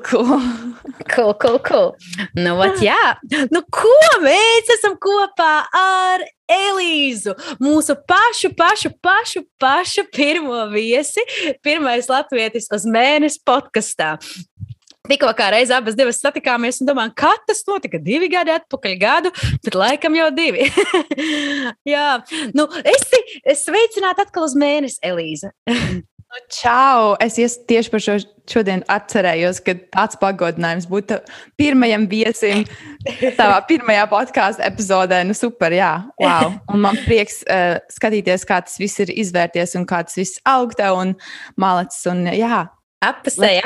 Cool. Cool. Nu, vat, jā. Nu, ko mēs esam kopā ar Elīzu, mūsu pašu pirmo viesi, pirmais latvietis uz mēnesi podkastā. Tikko kā reiz abas divas satikāmies un domājām, kad tas notika 2 gadi atpakaļ gadu, bet laikam jau 2. Jā, nu, esi sveicināta atkal uz mēnesi, Elīza. Čau! Es tieši par šodien atcerējos, ka tāds pagodinājums būtu pirmajam viesim savā pirmajā podkāstu epizodē. Nu super, jā, wow! Un man prieks skatīties, kā tas viss ir izvērties un kā tas viss aug tev un malacis un jā. Apasēji.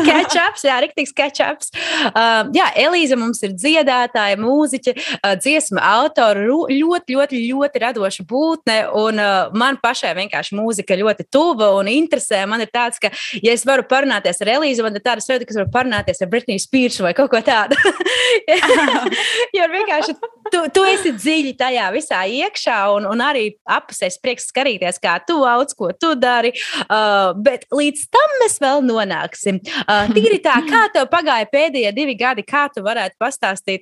Catch-ups, jā, riktīgs catch-ups. Jā, Elīza mums ir dziedātāja, mūziķe, dziesma autora, ļoti radoša būtne, un man pašai vienkārši mūzika ļoti tuva un interesē. Man ir tāds, ka, ja es varu parunāties ar Elīzu, man ir tāda sajūta, ka es varu parunāties ar Britney Spears vai kaut ko tādu. Jo vienkārši tu esi dziļi tajā visā iekšā, un arī apasēs prieks skatīties, kā tu auc, ko tu dari, bet līdz tam mēs vēl nonāksim. Tīri tā, kā tev pagāja pēdējie 2 gadi, kā tu varētu pastāstīt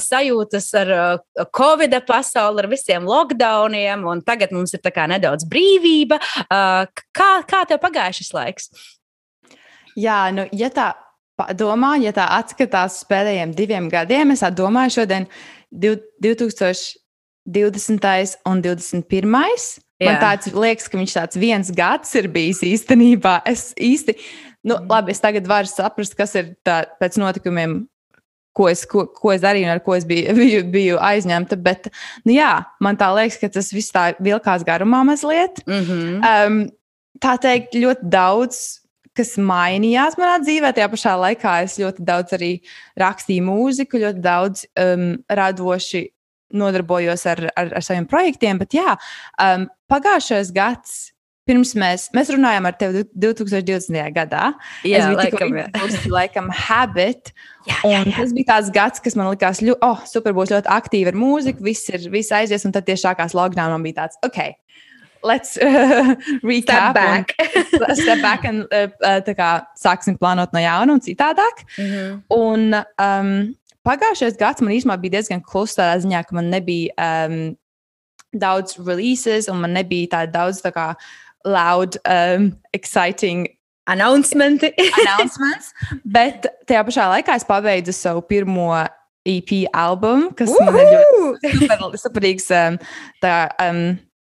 sajūtas ar Covid pasauli, ar visiem lockdowniem, un tagad mums ir tā kā nedaudz brīvība. Kā tev pagāja šis laiks? Jā, nu, ja tā atskatās uz pēdējiem 2 gadiem, es domāju šodien 2020. un 2021. Man tāds liekas, ka viņš tāds 1 gads ir bijis īstenībā. Es tagad varu saprast, kas ir tā pēc notikumiem, ko es darīju un ar ko es biju aizņemta. Bet, nu jā, man tā liekas, ka tas viss tā vilkās garumā mazliet. Tā teikt, ļoti daudz, kas mainījās manā dzīvē. Tajā pašā laikā es ļoti daudz arī rakstīju mūziku, ļoti daudz radoši nodarbojos ar saviem projektiem, bet jā, pagājušais gads, pirms mēs runājām ar tevi 2020. gadā. Jā, laikam Habit, un tas bija tāds gads, kas man likās, super, būs ļoti aktīvi ar mūziku, viss aizies, un tad tieši sākās lockdown, man bija tāds, okay, let's recap. Step back un tā kā sāksim plānot no jauna un citādāk. Un pagājušais gads man īstenībā bija diezgan kluss tādā ziņā, ka man nebija daudz releases un man nebija tāda daudz tā kā loud, exciting announcements. Bet tajā pašā laikā es pabeidzu savu pirmo EP albumu, kas man ir ļoti superīgs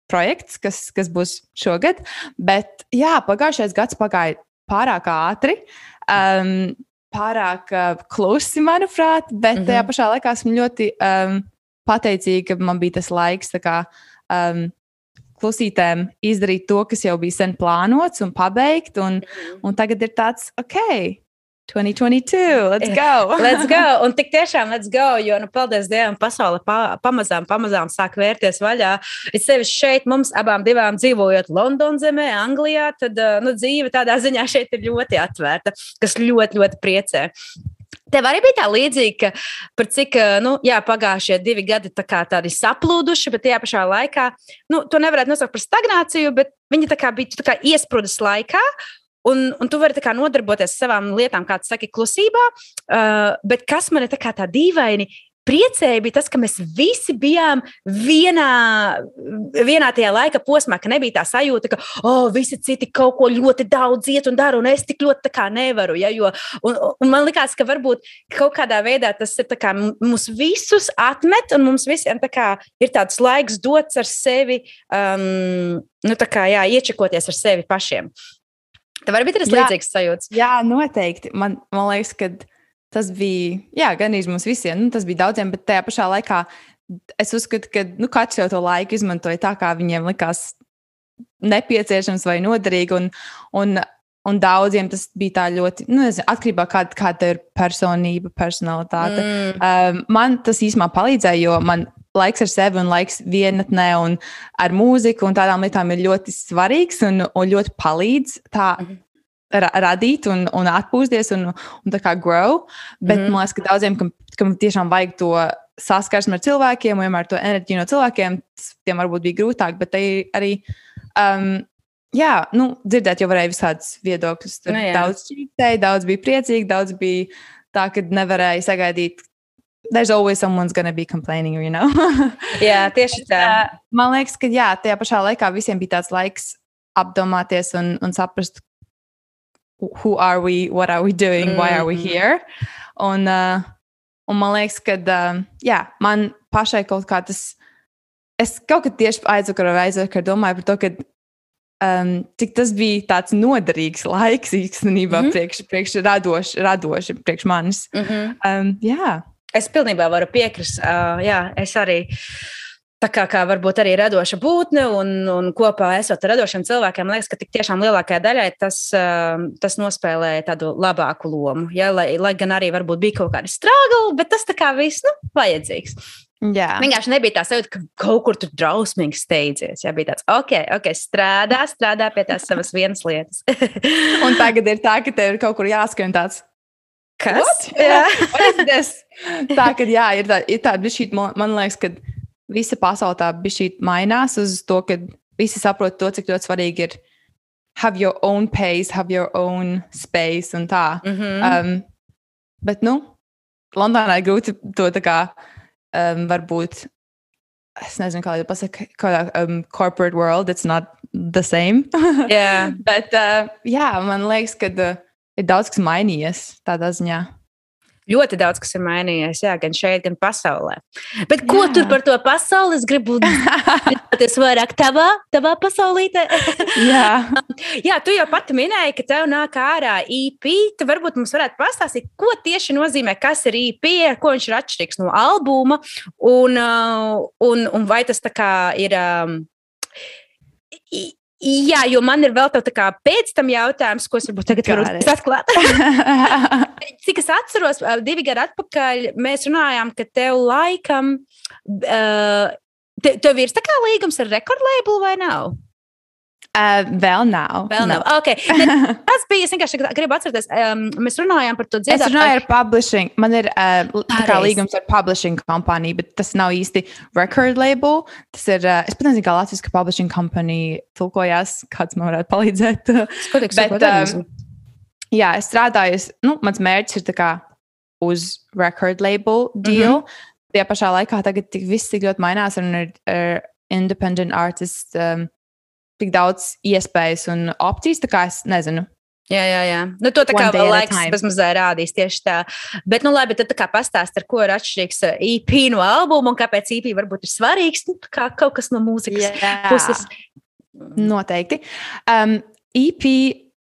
projekts, kas būs šogad. Bet jā, pagājušais gads pagāja pārāk ātri. Pārāk klusi, manuprāt, bet tajā pašā laikā esmu ļoti pateicīga, ka man bija tas laiks tā kā klusītēm izdarīt to, kas jau bija sen plānots un pabeigt, un tagad ir tāds, 2022, let's go! Let's go! Un tik tiešām let's go, jo, paldies Dievam, pasaule pamazām sāk vērties vaļā. Es sevišķi šeit mums abām divām dzīvojot Londonas zemē, Anglijā, tad dzīve tādā ziņā šeit ir ļoti atvērta, kas ļoti priecē. Tev arī bija tā līdzīga, ka par cik, pagājušie 2 gadi tādi saplūduši, bet tajā pašā laikā, to nevarētu nosaukt par stagnāciju, bet viņi bija iesprūdus laikā, un tu vari nodarboties ar savām lietām, kā tu saki, klusībā, bet kas man ir tā dīvaini priecēja, bija tas, ka mēs visi bijām vienā tajā laika posmā, ka nebija tā sajūta, ka visi citi kaut ko ļoti daudz iet un dara, un es tik ļoti nevaru. Ja, un man likās, ka varbūt kaut kādā veidā tas ir mūs visus atmet, un mums visiem ir tāds laiks dots ar sevi, iečekoties ar sevi pašiem. Tev arī bija tas līdzīgs sajūts? Jā, noteikti. Man liekas, ka tas bija, gan arī mums visiem, tas bija daudziem, bet tajā pašā laikā es uzskatu, ka katrs jau to laiku izmantoja tā, kā viņiem likās nepieciešams vai noderīgi, un daudziem tas bija tā ļoti, atkarībā kāda ir personība, personalitāte. Man tas īstenībā palīdzēja, jo man laiks ar sevi un laiks vienatnē un ar mūziku un tādām lietām ir ļoti svarīgs un ļoti palīdz tā radīt un atpūsties un tā kā grow. Bet man liekas, ka daudziem, kam tiešām vajag to saskarsmi ar cilvēkiem un vienmēr to enerģiju no cilvēkiem, tiem varbūt bija grūtāk, bet arī jā, dzirdēt jau varēja visādus viedokļus. Tur daudz čītēja, daudz bija priecīgi, daudz bija tā, ka nevarēja sagaidīt. There's always someone's gonna be complaining, Jā, tieši tā. Man liekas, ka jā, tajā pašā laikā visiem bija tāds laiks apdomāties un saprast, who are we, what are we doing, why are we here. Un man liekas, ka jā, man pašai kaut kā tas, es kaut kad tieši aizvakar domāju par to, ka cik tas bija tāds noderīgs laiks īstenībā priekš radoši priekš manis. Jā. Es pilnībā varu piekrist. Jā, es arī tā kā varbūt arī radoša būtne un kopā esot ar radošiem cilvēkiem, liekas, ka tik tiešām lielākajai daļai tas nospēlēja tādu labāku lomu. Ja? Lai gan arī varbūt bija kaut kādi struggle, bet tas tā kā viss, vajadzīgs. Jā. Vienkārši nebija tā sajūta, ka kaut kur tur drausmīgi steidzies. Jā, bija tāds, ok, strādā pie tās savas vienas lietas. Un tagad ir tā, ka tev ir kaut kur jāskrien tāds. Kas? Tā, ka jā, ir tā bišķīt, man liekas, ka visa pasaule tā bišķīt mainās uz to, ka visi saprot to, cik ļoti svarīgi ir have your own pace, have your own space un tā. Bet, Londonā ir grūti to tā kā varbūt, es nezinu, kā lai pasaka, corporate world, it's not the same. Yeah. Bet, jā, man liekas, ka ir daudz, kas mainījies tādā ziņā. Ļoti daudz, kas ir mainījies, jā, gan šeit, gan pasaulē. Bet ko tur par to pasauli? Es gribu dzirdēties vairāk tavā pasaulītē. Jā, tu jau pati minēji, ka tev nāk ārā EP. Tu varbūt mums varētu pastāstīt, ko tieši nozīmē, kas ir EP, ar ko viņš ir atšķirīgs no albuma, un vai tas tā kā ir... Jā, jo man ir vēl tā kā pēc tam jautājums, ko es varbūt tagad varu atklāt. Cik es atceros, 2 gadi atpakaļ mēs runājām, ka tev laikam, tev ir tā kā līgums ar rekordlabelu vai nav? Vēl nav. Okay. Tas bija, es vienkārši gribu atcerēties, mēs runājām par to dziedātāju. Es runāju ar publishing. Man ir kā līgums ar publishing kompāniju, bet tas nav īsti record label. Tas ir, es pat nezinu, kā latviski publishing company tulkojās, kāds man varētu palīdzēt. Jā, es strādāju, mans mērķis ir tā kā uz record label deal. Tajā pašā laikā tagad viss tik ļoti mainās un ir independent artists, tik daudz iespējas un opcijas, tā kā es nezinu. Jā. To tā kā vēl laiks bezmazē rādīs tieši tā. Bet, labi, tad tā kā pastāst, ar ko ir atšķirīgs EP no albuma un kāpēc EP varbūt ir svarīgs, kā kaut kas no mūzikas puses. Noteikti. EP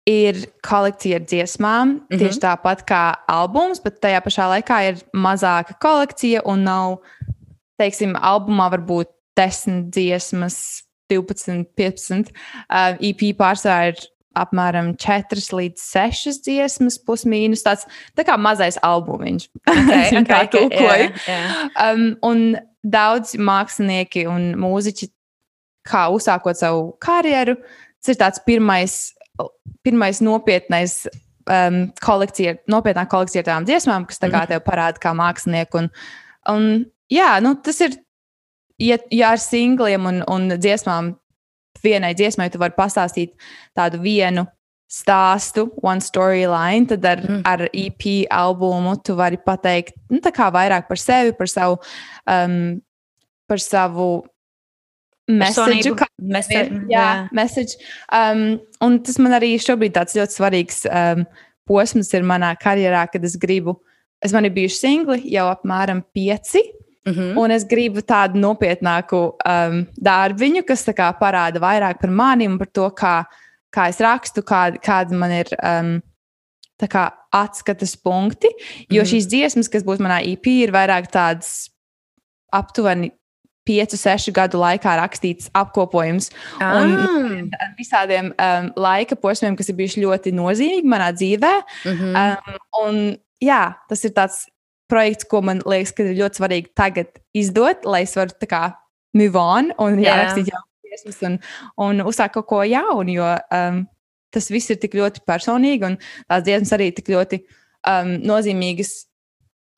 ir kolekcija ar dziesmām, tieši tāpat kā albums, bet tajā pašā laikā ir mazāka kolekcija un nav, teiksim, albumā varbūt 10 dziesmas, 12, 15. EP pārsvarā ir apmēram 4 līdz 6 dziesmas, plus mīnus. Tāds tā kā mazais albumiņš. Kā tulkoju. Un daudz mākslinieki un mūziķi, kā uzsākot savu karjeru, tas ir tāds pirmais nopietnais nopietnā kolekcija ar tām dziesmām, kas tā kā tev parāda kā mākslinieku. Un jā, tas ir. Ja ar singliem un dziesmām, vienai dziesmai tu vari pastāstīt tādu vienu stāstu, one storyline, tad ar EP albumu tu vari pateikt tā kā vairāk par sevi, par savu message. Message. Un tas man arī šobrīd tāds ļoti svarīgs posms ir manā karjerā, kad man ir bijuši singli jau apmēram 5. Un es gribu tādu nopietnāku darbiņu, kas tā kā parāda vairāk par mani un par to, kā es rakstu, kāda man ir tā kā atskatas punkti. Jo šīs dziesmas, kas būs manā EP, ir vairāk tādas aptuveni 5-6 gadu laikā rakstīts apkopojums. Un visādiem laika posmiem, kas ir bijuši ļoti nozīmīgi manā dzīvē. Un jā, tas ir tāds projekts, ko man liekas, ka ir ļoti svarīgi tagad izdot, lai es varu tā kā move on un jārakstīt jaunas dziesmas un uzsākt kaut ko jaunu, jo tas viss ir tik ļoti personīgi un tās dziesmas arī tik ļoti nozīmīgas.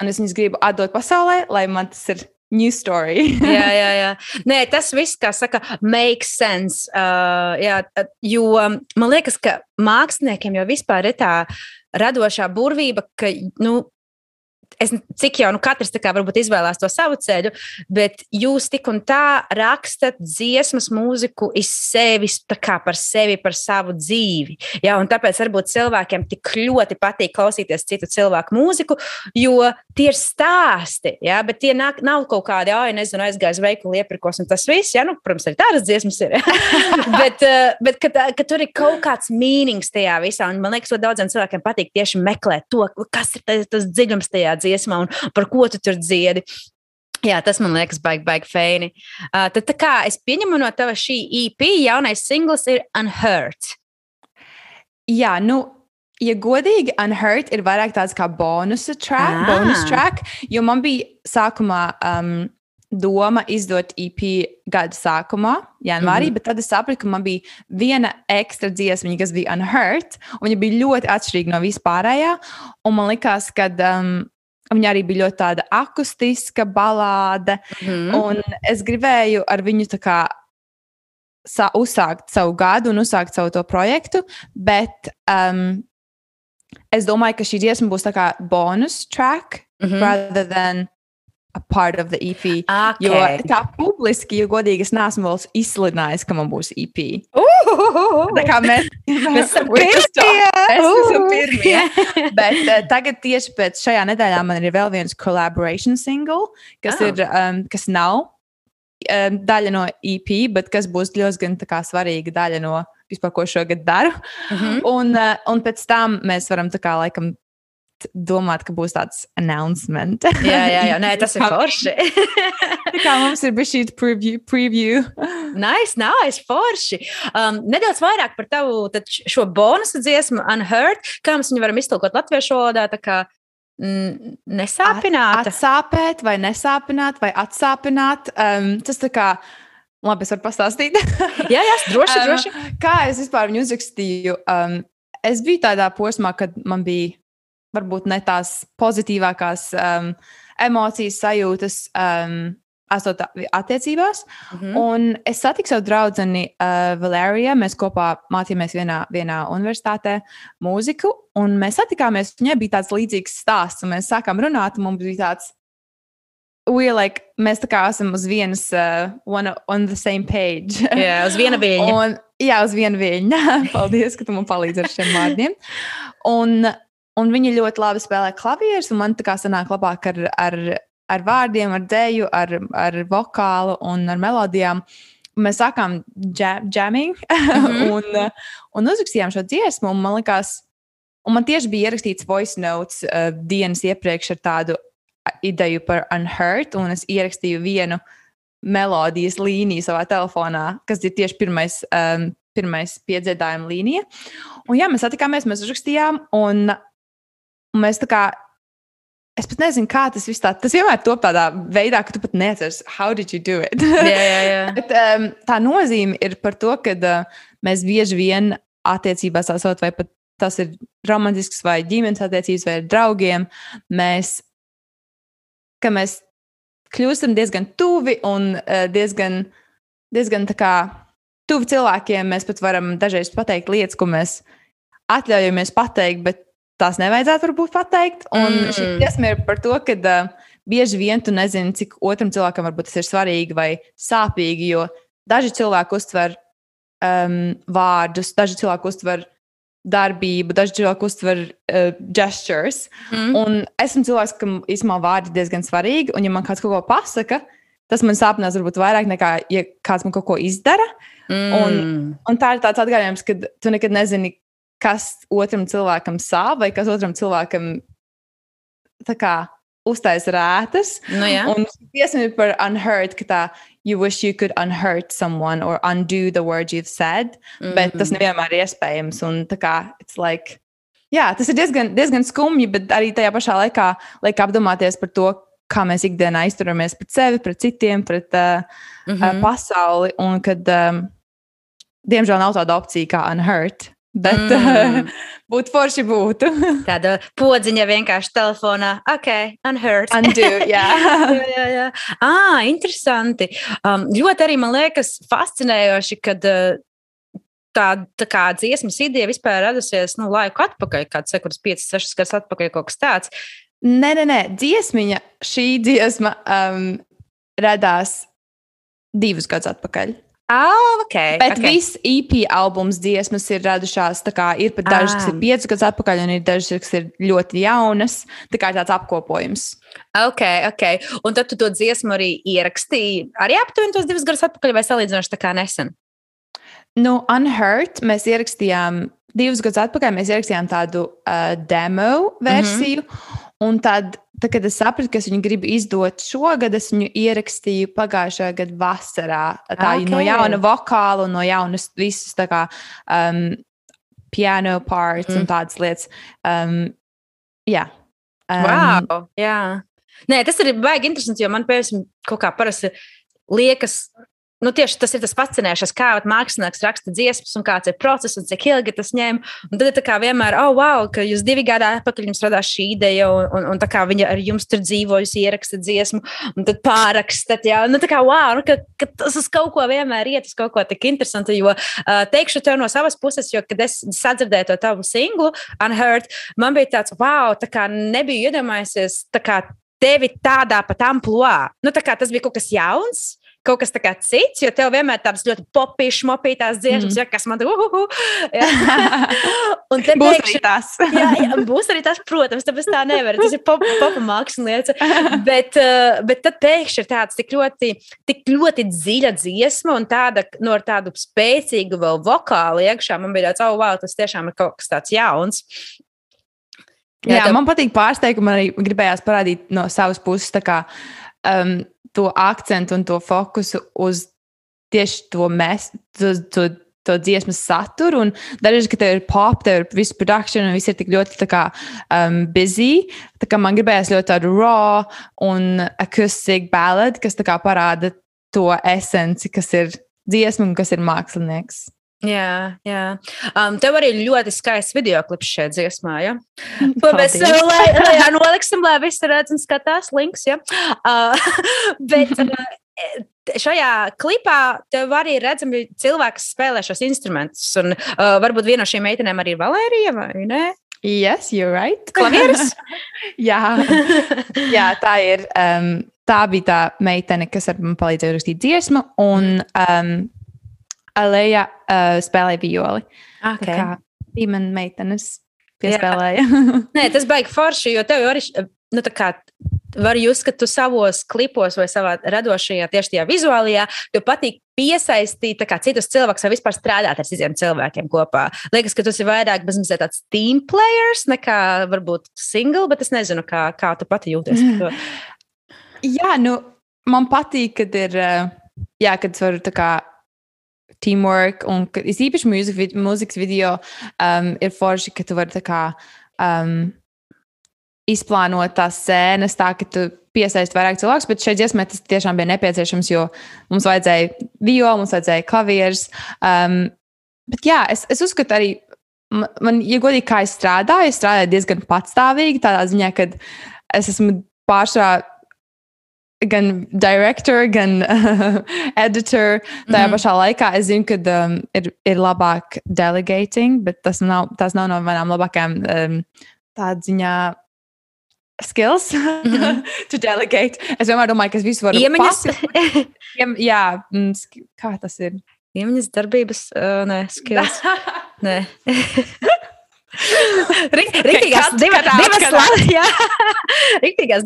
Un es viņas gribu atdot pasaulē, lai man tas ir new story. jā. Nē, tas viss, kā saka, makes sense. Jā, jo man liekas, ka māksliniekiem jau vispār ir tā radošā burvība, ka, cik jau katrs tā kā varbūt izvēlās to savu ceļu, bet jūs tik un tā rakstat dziesmas, mūziku iz sevis, tā kā par sevi, par savu dzīvi. Jā, un tāpēc varbūt cilvēkiem tik ļoti patīk klausīties citu cilvēku mūziku, jo tie ir stāsti, jā, bet tie nav kaut kādi, aizgājis veikalu iepirkos un tas viss, jā, protams, arī tādas dziesmas ir. bet ka tur ir kaut kāds meanings tajā visā, un man liekas, ka daudziem cilvēkiem patīk tieši meklēt to, kas ir tas dziļums tajā dziesmā un par ko tu tur dziedi. Jā, tas man liekas baigi feini. Tad tā kā es pieņemu no tava šī EP, jaunais singls ir Unhurt. Jā, ja godīgi, Unhurt ir vairāk tāds kā bonus track, jo man bija sākumā doma izdot EP gada sākumā, janvārī, bet tad es sapratu, ka man bija viena ekstra dziesmiņa, kas bija Unhurt, un viņa bija ļoti atšķirīga no vispārējā, un man likās, ka viņa arī bija ļoti tāda akustiska balāde, un es gribēju ar viņu tā kā uzsākt savu gadu un uzsākt savu to projektu, bet es domāju, ka šī dziesma būs tā kā bonus track rather than a part of the EP. Okay. Jo tā publiski, jo godīgi, es neesmu vēl izsludinājis, ka man būs EP. Tā kā mēs esam pirmie. Bet tagad tieši pēc šajā nedēļā man ir vēl viens collaboration single, kas ir, kas nav daļa no EP, bet kas būs ļoti tā kā svarīga daļa no vispār, ko šogad daru. Un pēc tam mēs varam tā kā laikam domāt, ka būs tāds announcement. Jā, nē, tas ir forši. Tā kā mums ir bijis šī preview. Nice, forši. Nedaudz vairāk par tavu šo bonusu dziesmu Unhurt, kā mēs viņu varam iztulkot latviešu valodā, tā kā nesāpināt. Atsāpēt vai nesāpināt vai atsāpināt. Tas tā kā, labi, es varu pastāstīt. jā, droši. Kā es vispār viņu uzrakstīju? Es biju tādā posmā, kad man bija varbūt ne tās pozitīvākās emocijas, sajūtas esot attiecībās. Un es satiku savu draudzeni Valēriju. Mēs kopā mācījāmies vienā universitātē mūziku, un mēs satikāmies. Viņai bija tāds līdzīgs stāsts, un mēs sākām runāt, un mums bija tāds, mēs tā kā esam uz vienas, on the same page. Jā, uz viena viļņa. Uz viena viļņa. Paldies, ka tu man palīdzi ar šiem vārdiem. Un viņi ļoti labi spēlē klavierus, un man tā kā sanāk labāk ar vārdiem, ar dēju, ar vokālu un ar melodijām. Mēs sākām jamming un uzrakstījām šo dziesmu, un man likās, un man tieši bija ierakstīts voice notes dienas iepriekš ar tādu ideju par Unhurt, un es ierakstīju vienu melodijas līniju savā telefonā, kas ir tieši pirmais piedziedājuma līnija. Un jā, mēs satikāmies, mēs uzrakstījām, un mēs tā kā, es pat nezinu, kā tas viss tas vienmēr top tādā veidā, ka tu pat neatceries, how did you do it? Jā. Bet tā nozīme ir par to, ka mēs bieži vien attiecībās esot, vai pat tas ir romantisks vai ģimenes attiecības vai ar draugiem, mēs kļūstam diezgan tuvi un diezgan tā kā tuvi cilvēkiem. Mēs pat varam dažreiz pateikt lietas, ko mēs atļaujamies pateikt, bet tās nevajadzētu varbūt pateikt. Un šī dziesma ir par to, ka bieži vien tu nezini, cik otram cilvēkam varbūt tas ir svarīgi vai sāpīgi, jo daži cilvēki uztver vārdus, daži cilvēki uztver darbību, daži cilvēki uztver gestures. Un esmu cilvēks, kam īstenībā vārdi diezgan svarīgi, un ja man kāds kaut ko pasaka, tas man sāpinās varbūt vairāk nekā, ja kāds man kaut ko izdara. Un tā ir tāds atgādājums, ka tu nekad nezini, kas otram cilvēkam sāp, vai kas otram cilvēkam tā kā uztais rētas. Un dziesma ir par Unhurt, ka tā you wish you could unhurt someone or undo the words you've said, bet tas nevienmēr ir iespējams. Un tā kā, it's like, jā, tas ir diezgan skumji, bet arī tajā pašā laikā liek apdomāties par to, kā mēs ikdienā izturamies pret sevi, pret citiem, pret pasauli, un kad, diemžēl, nav tāda opcija kā Unhurt. bet būtu forši būtu. Tāda podziņa vienkārši telefonā. Ok, unheard. Undo, jā. Jā. Interesanti. Ļoti arī man liekas fascinējoši, kad tā kā dziesmas ideja vispār radusies laiku atpakaļ, kāds 5, 6 gadus atpakaļ, kaut kas tāds. Nē, šī dziesma radās 2 gadus atpakaļ. Bet viss EP albums dziesmas ir radušās, tā kā ir pat dažas, kas ir 5 gadus atpakaļ, un ir dažas, kas ir ļoti jaunas, tā kā tāds apkopojums. Ok. Un tad tu to dziesmu arī ierakstīji, arī aptuveni tos 2 gadus atpakaļ, vai salīdzinoši tā kā nesen? Unheard mēs ierakstījām 2 gadus atpakaļ, mēs ierakstījām tādu demo versiju, un tad, kad es sapratu, ka es viņu gribu izdot šogad, es viņu ierakstīju pagājušajā gada vasarā. No jauna vokāla un no jaunas visas tā kā piano parts un tādas lietas. Jā. Wow, jā. Nē, tas ir baigi interesanti, jo man pēc kaut kā parasti liekas, tieši tas ir tas fascinējošais, kā mākslinieks raksta dziesmas un kāds ir process un cik ilgi tas ņem. Un tad ir tā kā vienmēr, wow, ka jūs 2 gadi atpakaļ jums radās šī ideja un tā kā viņa ar jums tur dzīvo, jūs ieraksta dziesmu un tad pārakstat, jā. Tā kā, wow, ka tas uz kaut ko vienmēr iet, uz kaut ko tik interesanti, jo teikšu tev no savas puses, jo, kad es sadzirdēju to tavu singlu, Unheard, man bija tāds, wow, tā kā nebiju iedomājusies, tā kā tevi tādā pat amplua. Tā kā tas bija kaut kas jauns. Kaut kas tā kā cits, jo tev vienmēr tādas ļoti popīšas, mopītās dziesmas, kas man un te būs arī tas. jā, būs arī tas, protams, tāpēc tā nevar. Tas ir popa mākslinieca. Bet tad pēkšņi ir tāds tik ļoti dziļa dziesma un tāda, ar tādu spēcīgu vēl vokālu iekšā. Man bija tāds, wow, tas tiešām ir kaut kas tāds jauns. Jā, man patīk pārsteigumi, man arī gribējās parādīt no savas puses tā kā to akcentu un to fokusu uz tieši to dziesmas saturu. Un dažreiz, ka tev ir pop, tev ir viss production un viss ir tik ļoti tā kā busy. Tā kā man gribējās ļoti tādu raw un acoustic ballad, kas tā kā parāda to esenci, kas ir dziesma un kas ir mākslinieks. Jā. Tev arī ļoti skaists videoklips šajā dziesmā, ja? To mēs lai noliksim, lai visi redz un skatās links, ja? Bet šajā klipā tev arī redzami cilvēki, kas spēlē šos instrumentus, un varbūt viena no šīm meitenēm arī ir Valērija, vai ne? Yes, you're right. Klavieris? Jā, tā ir. Tā bija tā meitene, kas ar man palīdzēja rakstīt dziesmu, un Aleja spēlēja violi. Okay. Tā kā bija man meitenes piespēlēja. Nē, tas baigi forši, jo tev arī, tā kā var just, ka tu savos klipos vai savā radošajā, tieši tajā vizuālajā, tev patīk piesaistīt tā kā citus cilvēkus vai vispār strādāt ar citiem cilvēkiem kopā. Liekas, ka tas ir vairāk bezmazliet tāds team players nekā varbūt single, bet es nezinu, kā tu pati jūties par to. Jā, man patīk, kad ir, kad varu tā kā teamwork, un es īpaši mūzikas video ir forši, ka tu vari tā kā izplānot tās scēnas tā, ka tu piesaisti vairāk cilvēkus, bet šeit dziesmē tas tiešām bija nepieciešams, jo mums vajadzēja violi, mums vajadzēja klavieres. Bet jā, es uzskatu arī, man, ja godīgi, kā es strādāju diezgan patstāvīgi, tādā ziņā, kad es esmu pārsvarā gan director, gan editor. Tajā pašā laikā es zinu, ka ir labāk delegating, bet tas nav no manām labākajām tādā ziņā skills to delegate. Es vienmēr domāju, ka es visu varu jā, kā tas ir? Iemaņas darbības, nē, skills. Nē. Riktīgās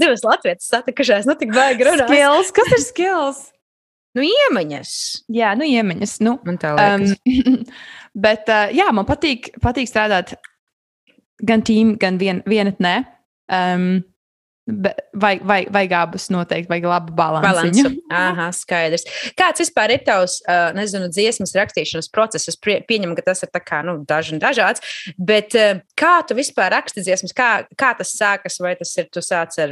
divas latvietas satikušās, tik baigi runāt. Skills, kas ir skills? Iemaņas. Jā, iemaņas. Man tā liekas. Bet jā, man patīk strādāt gan team, gan vienatnē. Vajag abus noteikti, vajag labu balansu. Aha, skaidrs. Kāds vispār ir tavs, dziesmas rakstīšanas process? Es pieņemu, ka tas ir tā kā, dažāds, bet kā tu vispār raksti dziesmas? Kā tas sākas? Vai tas ir, tu sāc ar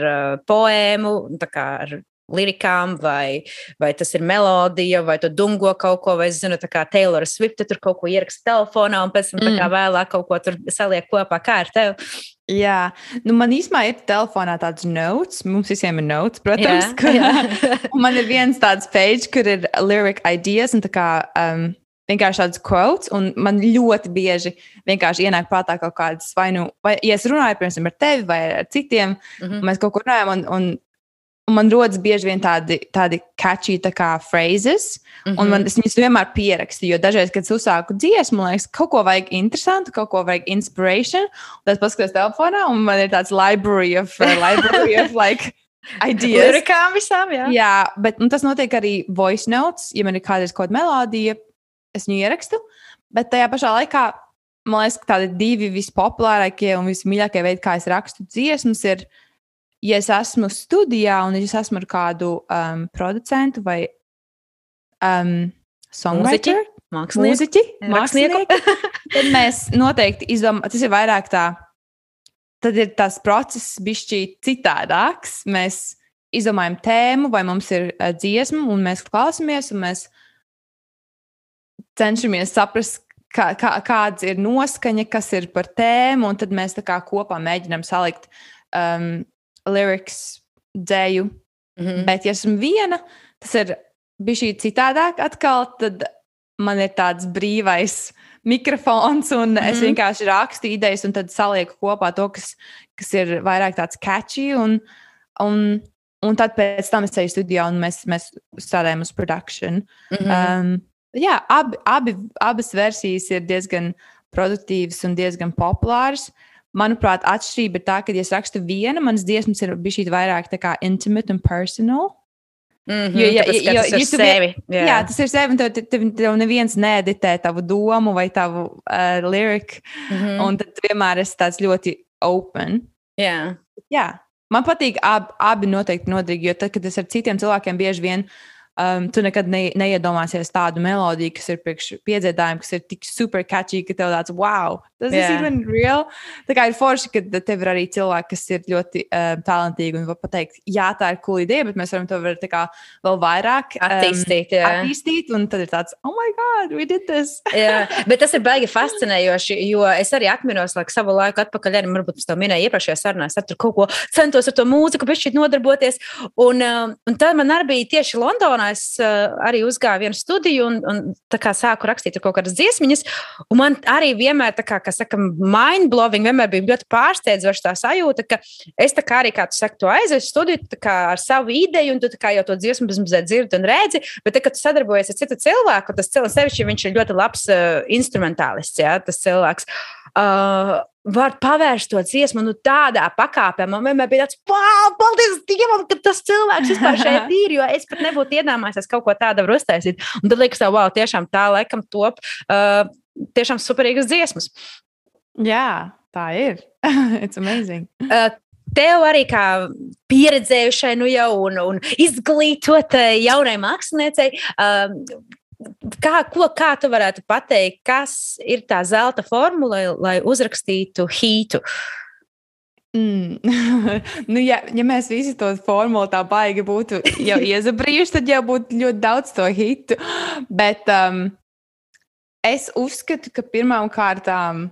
poēmu, tā kā ar lirikām, vai tas ir melodija, vai tu dungo kaut ko, vai es zinu, tā kā Taylor Swift tur kaut ko ieraksta telefonā un pēc tam tā kā vēlāk kaut ko tur saliek kopā. Kā ar tev? Jā, man īstenībā ir telefonā tāds notes, mums visiem ir notes, protams. Un man ir viens tāds page, kur ir lyric ideas un tā kā vienkārši tāds quotes, un man ļoti bieži vienkārši ienāk prātā kaut kādas vai, ja es runāju, piemēram, ar tevi vai ar citiem, mēs kaut ko runājam, un man rodas bieži vien tādi catchy tā kā phrases, un es viņus vienmēr pierakstu, jo dažreiz, kad es uzsāku dziesmu, man liekas, kaut ko vajag interesantu, kaut ko vajag inspiration, un tad paskatos telefonā, un man ir tāds library of like ideas. Lirikām visām, jā. Jā, bet tas notiek arī voice notes, ja man ir kādreiz kaut kāda melodija, es viņu ierakstu, bet tajā pašā laikā, man liekas, ka tādi divi vispopulārākie un vismīļākie veidi, kā es rakstu dziesmas, ir ja es esmu studijā un es esmu ar kādu producentu vai songwriter, mūziķi, tad mēs noteikti izdomājam, tas ir vairāk tā, tad ir tas process bišķi citādāks. Mēs izdomājam tēmu vai mums ir dziesma un mēs klausamies un mēs cenšamies saprast, kāds ir noskaņa, kas ir par tēmu, un tad mēs tā kā kopā mēģinām salikt lyrics, dzēju. Bet, ja esmu viena, tas ir bišķi citādāk atkal, tad man ir tāds brīvais mikrofons, un es vienkārši rakstu idejas, un tad salieku kopā to, kas ir vairāk tāds catchy, un tad pēc tam es eju studijā, un mēs strādājam uz production. Jā, abas versijas ir diezgan produktīvas un diezgan populāras. Manuprāt, atšķirība ir tā, ka, ja es rakstu viena, manas dziesmas ir bišķi vairāk tā kā intimate un personal. Jo tas ir sevi. Jā, tas ir sevi, un tev neviens needitē tavu domu vai tavu lyric, un tad vienmēr esi tāds ļoti open. Jā. Man patīk abi noteikti noderīgi, jo tad, kad es ar citiem cilvēkiem bieži vien tu nekad neiedomāsies tādu melodiju, kas ir priekš piedziedājumu, kas ir tik super catchy, ka tev tāds, wow, tas ir even real. Tā kā ir forši, ka tev ir arī cilvēki, kas ir ļoti talantīgi un var pateikt, jā, tā ir cool ideja, bet mēs varam to tā kā vēl vairāk attīstīt, un tad ir tāds, oh my God, we did this. Jā, bet tas ir baigi fascinējoši, jo es arī atminos, savu laiku atpakaļ, arī varbūt es to minēju iepriekšējā sarunā, es tur kaut ko centos ar to mūziku, bet šķiet nodarboties, un tad man arī bija tieši Londonā. Es arī uzgāju vienu studiju un tā kā sāku rakstīt kaut kādas dziesmiņas, un man arī vienmēr, tā kā saka, mind-blowing, vienmēr bija ļoti pārsteidzoša tā sajūta, ka es tā kā arī, kā tu saki, tu aizies studiju tā kā ar savu ideju, un tu tā kā jau to dziesmu dzirdi un redzi, bet tā, kad tu sadarbojies ar citu cilvēku, tas cilvēks sevišķi, viņš ir ļoti labs instrumentālists, jā, tas cilvēks. Var pavērst to dziesmu tādā pakāpē. Man vienmēr bija tāds, wow, paldies Dievam, ka tas cilvēks vispār šeit ir, jo es pat nebūtu iedomājies kaut ko tādu var uztaisīt. Un tad liekas, wow, tiešām tā laikam top tiešām superīgas dziesmas. Jā, tā ir. It's amazing. Tev arī kā pieredzējušai jau un izglītotai jaunai māksliniecei, kā tu varētu pateikt, kas ir tā zelta formula, lai uzrakstītu hītu? Ja mēs visi to formulu tā baigi būtu jau iezabrījuši, tad jau būtu ļoti daudz to hitu. Bet es uzskatu, ka pirmām kārtām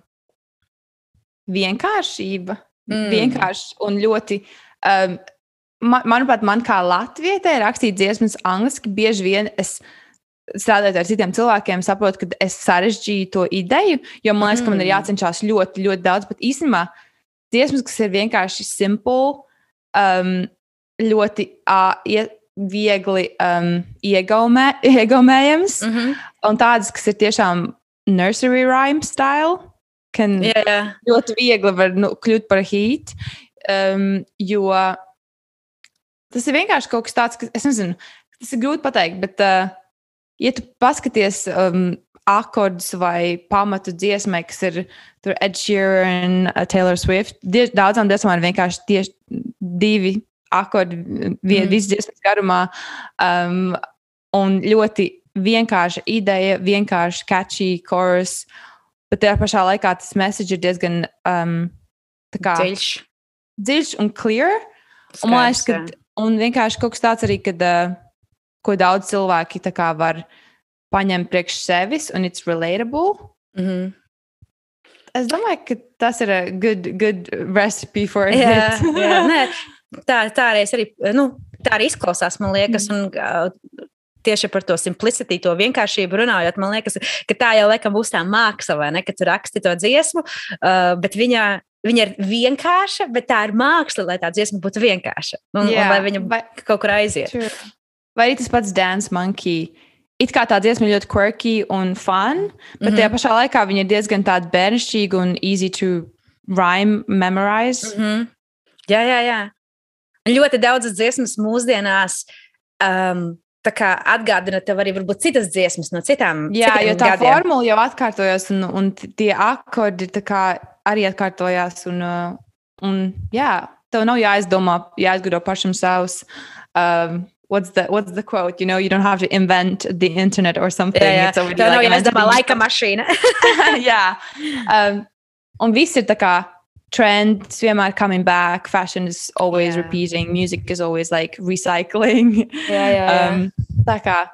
vienkāršība, vienkārši un ļoti, manuprāt, man kā latvietē rakstīt dziesmas angliski, bieži vien es strādājot ar citiem cilvēkiem, saprotu, ka es sarežģīju to ideju, jo man liekas, ka man ir jācenšas ļoti, ļoti daudz, bet īstenībā dziesmas, kas ir vienkārši simple, ļoti viegli iegaumējams, un tādas, kas ir tiešām nursery rhyme style, kan ļoti viegli var kļūt par hit, jo tas ir vienkārši kaut kas tāds, ka es nezinu, tas ir grūti pateikt, bet ja tu paskaties akordus vai pamatu dziesmai, kas ir tur Ed Sheeran, Taylor Swift, daudzām dziesmām ir vienkārši tieši 2 akordi visas dziesmas garumā, un ļoti vienkārša ideja, vienkārši catchy chorus, bet tajā pašā laikā tas message ir diezgan dziļš un clear. Un man liekas, ka Un vienkārši kaut kas tāds arī, kad, ko daudz cilvēki tā kā var paņemt priekš sevis, un it's relatable. Es domāju, ka tas ir a good recipe for it. Nē, tā arī, tā arī izklausās, man liekas, un tieši par to simplicity, to vienkāršību runājot, man liekas, ka tā jau laikam būs tā māksla, vai ne, kad tu raksti to dziesmu, bet viņa ir vienkārša, bet tā ir māksla, lai tā dziesma būtu vienkārša, un lai viņa kaut kur aiziet. True. Vai arī tas pats Dance Monkey? It kā tā dziesma ļoti quirky un fun, bet tajā pašā laikā viņa ir diezgan tāda bērnišķīga un easy to rhyme, memorize. Jā. Ļoti daudzas dziesmas mūsdienās tā kā atgādina tev arī varbūt citas dziesmas no citām jo tā gadiem. formula jau atkārtojas un tie akordi tā kā arī atkārtojās un tev nav jāizgudro pašam savus what's the quote? You know, you don't have to invent the internet or something. It's already tev nav jāizdomā laika mašīna. Un viss ir tā kā trends vienmēr coming back, fashion is always repeating, music is always like recycling. Tā kā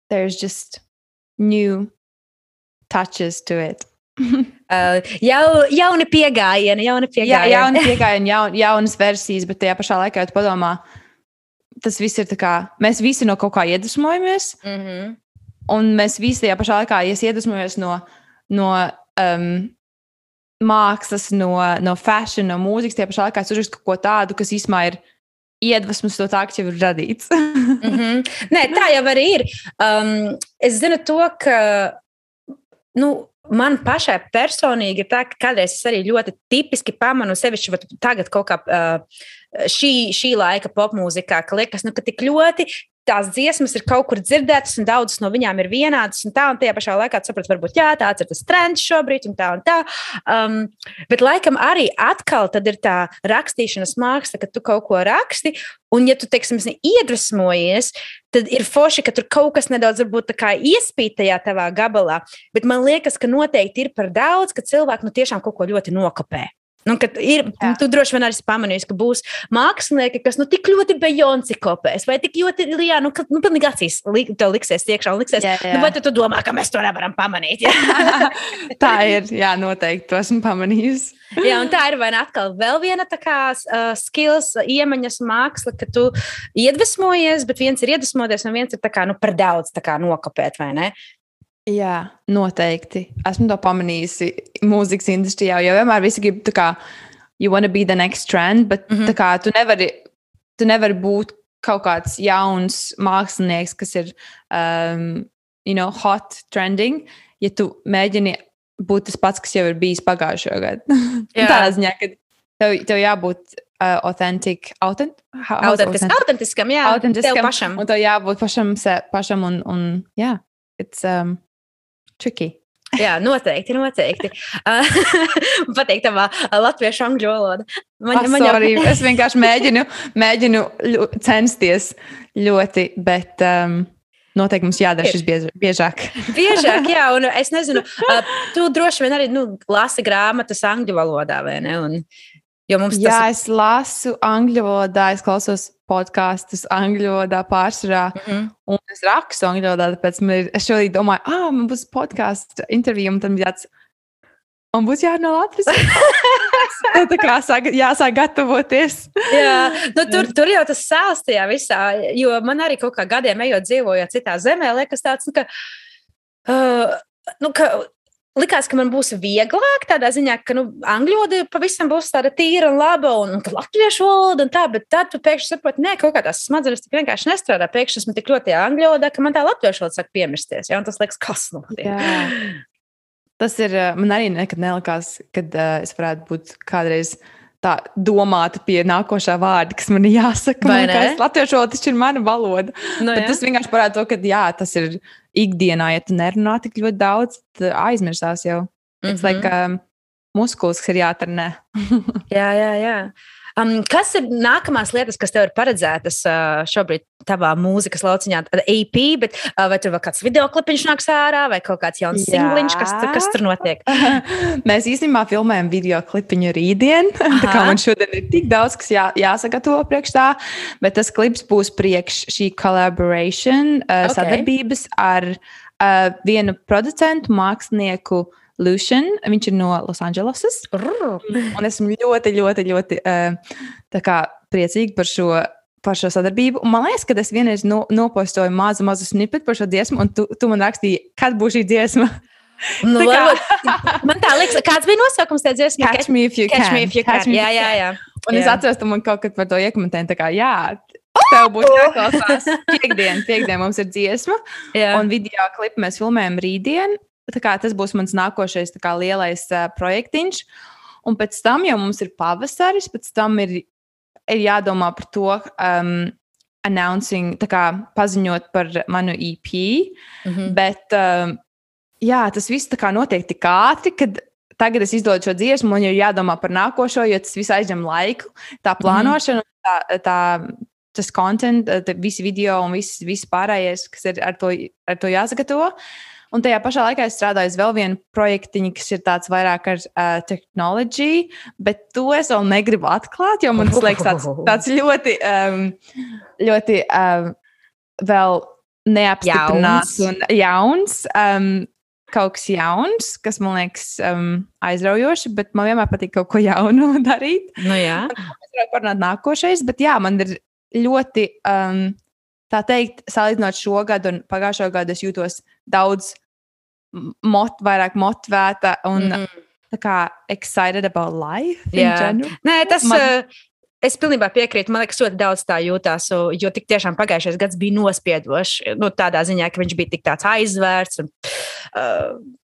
there's just new touches to it. Jauni piegājieni. Jauni piegājieni, jaunas versijas, bet tajā pašā laikā tu padomā, tas viss ir tā kā, mēs visi no kaut kā iedvesmojamies, un mēs visi tajā pašā laikā iedvesmojamies no mākslas, no fashion, no mūzikas, tajā pašā laikā es uzrakstu kaut ko tādu, kas īsumā ir iedvesmas no tā, kas jau ir radīts. Nē, tā jau arī ir. Es zinu to, ka man pašai personīgi ir tā, ka kādreiz es arī ļoti tipiski pamanu sevišķi tagad kaut kā šī laika popmūzikā, ka liekas, ka tik ļoti tās dziesmas ir kaut kur dzirdētas un daudzas no viņām ir vienādas un tajā pašā laikā tu saprati, varbūt tāds ir tas trends šobrīd un tā. Bet laikam arī atkal tad ir tā rakstīšanas māksla, ka tu kaut ko raksti un ja tu, teiksim, iedvesmojies, tad ir forši, ka tur kaut kas nedaudz varbūt tā kā iespīt tajā tavā gabalā, bet man liekas, ka noteikti ir par daudz, ka cilvēki tiešām kaut ko ļoti nokopē. Tu droši vien arī pamanīsi, ka būs mākslinieki, kas tik ļoti Beyoncé kopēs, vai tik ļoti, pilnīgi acīs tev liksies iekšā un liksies, vai tu domā, ka mēs to nevaram pamanīt? Tā ir, noteikti, to esmu pamanījusi. Un tā ir vai ne atkal vēl viena tā kā skills, iemaņas māksla, ka tu iedvesmojies, bet viens ir iedvesmoties un viens ir tā kā, par daudz tā kā nokopēt, vai ne? Jā, noteikti. Esmu to pamanījusi mūzikas industrijā, jo vienmēr visi grib tā kā you wanna be the next trend, bet tā kā tu nevari būt kaut kāds jauns mākslinieks, kas ir hot trending, ja tu mēģini būt tas pats, kas jau ir bijis pagājušajā gadā. Tādā ziņā, ka tev jābūt autentiskam, tev pašam. Un tev jābūt pašam un it's tricky. Jā, noteikti. Pateikt tavā latviešu angļu valoda. Sorry, es vienkārši mēģinu censties ļoti, bet noteikti mums jādara šis biežāk. Biežāk, jā, un es nezinu, tu droši vien arī lasi grāmatas angļu valodā, vai ne? Es lasu angļu valodā, es klausos podkastus angļu valodā pārsvarā, un es rakstu angļu valodā, tāpēc es šodien domāju, man būs podkāstu intervija, un tad man būs jārunā latviešu. Tā kā jāsāk gatavoties. Jā, tur jau tas sāls tajā visā, jo man arī kaut kā gadiem ejot dzīvojot citā zemē, liekas tāds, ka likās, ka man būs vieglāk tādā ziņā, ka angļu valoda pavisam būs tāda tīra un laba un ka latviešu valoda un tā, bet tad tu pēkšņi saproti, kā kaut kā tās smadzenes tik vienkārši nestrādā. Pēkšņi esmu tik ļoti angļu valodā, ka man tā latviešu valoda sāk piemirsties. Ja? Un tas liekas, kas notiek. Tas ir, man arī nekad nelikās, kad es varētu būt kādreiz tā domāta pie nākošā vārda, kas man ir jāsaka. Man liekas, latviešu valoda taču ir mana valoda. Bet tas vienkārši parāda to, ka tas ir ikdienā, ja tu nerunā tik ļoti daudz, tad aizmirsās jau. It's like muskulis, kas ir jātrenē. Jā. Kas ir nākamās lietas, kas tev ir paredzētas šobrīd tavā mūzikas lauciņā? EP, bet vai tur vēl kāds videoklipiņš nāks ārā vai kaut kāds jauns singliņš, kas tur notiek? Mēs īstenībā filmējam videoklipiņu rītdien. Tā kā man šodien ir tik daudz, kas jāsagatavo priekš tā, bet tas klips būs priekš šī collaboration sadarbības ar vienu producentu, mākslinieku Lucian, viņš ir no Losandželosas. Un esmu ļoti, ļoti, ļoti tā kā priecīga par šo sadarbību. Un man liekas, ka es vienreiz nopostoju mazu snippet par šo dziesmu, un tu man rakstīji, kad būs šī dziesma. Nu, man tā liekas, kāds bija nosaukums tā dziesma? Catch me if you can. Jā. Un es atceros, tu man kaut kad par to iekomentēji, tā kā jā, tev būs jāklausās. Piekdien mums ir dziesma, un video klipu mēs filmējam rītdien. Tā kā tas būs mans nākošais tā kā lielais projektiņš. Un pēc tam jau mums ir pavasaris, pēc tam ir jādomā par to, announcing, tā kā paziņot par manu EP. Bet, jā, tas viss tā kā notiek tik ātri, kad tagad es izdodu šo dziesmu, un ir jādomā par nākošo, jo tas viss aizņem laiku. Tā plānošana, tas content, visi video un viss pārējais, kas ir ar to jāsagatavo. Un tajā pašā laikā es strādāju uz vēl vienu projektiņu, kas ir tāds vairāk ar technology, bet to es vēl negribu atklāt, jo man tas liekas tāds ļoti, ļoti vēl neapstiprināts un jauns. Kaut kas jauns, kas man liekas aizraujoši, bet man vienmēr patīk kaut ko jaunu darīt. Nu jā. Es varu parunāt nākošais, bet jā, man ir ļoti, tā teikt, salīdzinot šo gadu un pagājušo gadu, es jūtos daudz vairāk motivēta un tā kā excited about life in general. Nē, tas... Es pilnībā piekrītu. Man liekas, ļoti daudz tā jūtās, jo tik tiešām pagājušais gads bija nospiedošs. Tādā ziņā, ka viņš bija tik tāds aizvērts.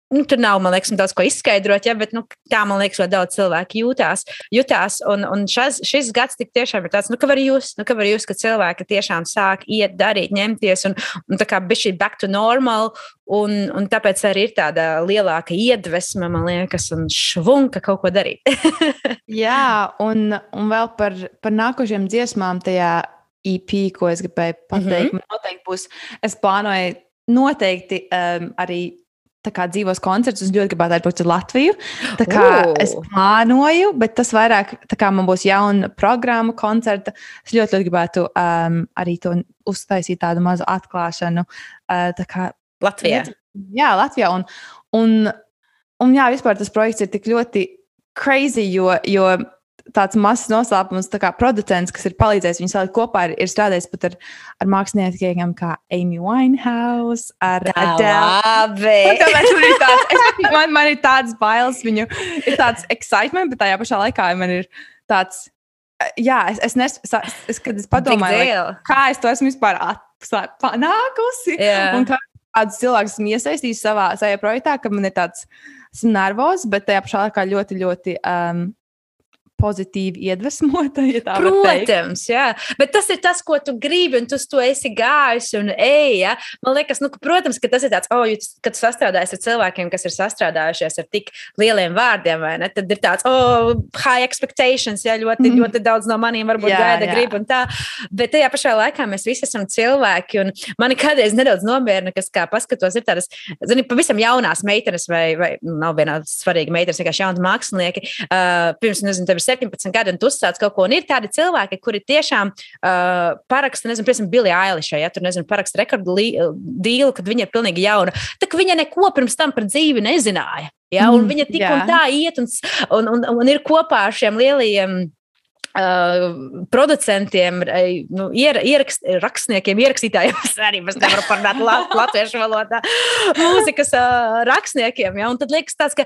Tur nav, man liekas, daudz ko izskaidrot, bet tā, man liekas, ļoti daudz cilvēku jutās. Un šis gads tik tiešām ir tāds, ka var just, ka cilvēki tiešām sāk iet, darīt, ņemties un tā kā bišķi back to normal. Un tāpēc arī ir tāda lielāka iedvesma, man liekas, un švunka kaut ko darīt. Jā, un vēl par nākošiem dziesmām tajā EP, ko es gribēju pateikt, man noteikti būs, es plānoju noteikti arī tā kā dzīvos koncertus, un ļoti gribētu atbraukt uz Latviju. Tā kā es plānoju, bet tas vairāk, tā kā man būs jauna programma, koncerta, es ļoti, ļoti gribētu arī to uztaisīt tādu mazu atklāšanu. Tā kā Latvijā. Jā, Latvijā. Un jā, vispār tas projekts ir tik ļoti crazy, jo tāds mazs noslēpums, tā kā producents, kas ir palīdzējis viņu salikt kopā, ir strādājis pat ar māksliniekiem kā Amy Winehouse, ar Adele. Man ir tāds bailes, viņu ir tāds excitement, bet tajā pašā laikā man ir tāds, jā, kad es padomāju, kā es to esmu vispār panākusi, un kādus cilvēkus esmu iesaistījis savā projektā, ka man ir tāds, esmu nervos, bet tajā pašā laikā ļoti, ļoti pozitīvi iedvesmota, ja tā var teikt. Protams, jā. Bet tas ir tas, ko tu gribi, un tu to esi gājis un ej, ja? Man liekas, protams, ka tas ir tāds, kad tu sastrādājies ar cilvēkiem, kas ir sastrādājušies ar tik lieliem vārdiem, vai ne? Tad ir tāds, high expectations, ja? Ļoti daudz no maniem varbūt gaida, grib un tā. Bet tajā pašā laikā mēs visi esam cilvēki, un mani kādreiz nedaudz nomierina, kas kā paskatos, ir tādas, pavisam jaunās meitenes, vai nav vienā svarīga meitenes, vienkārši jauni mākslinieki, pirms, tev 17 gadi, un tu uzsāc kaut ko, un ir tādi cilvēki, kuri tiešām paraksta, piemēram, Billie Eilishai, ja tur, paraksta rekordu dīlu, kad viņa ir pilnīgi jauna. Tā ka viņa neko pirms tam par dzīvi nezināja, ja, un viņa tik un tā iet, un ir kopā ar šiem lielajiem producentiem, rakstniekiem, ierakstītājiem, es arī nevaru parunāt latviešu valodā, mūzikas rakstniekiem, ja, un tad liekas tāds, ka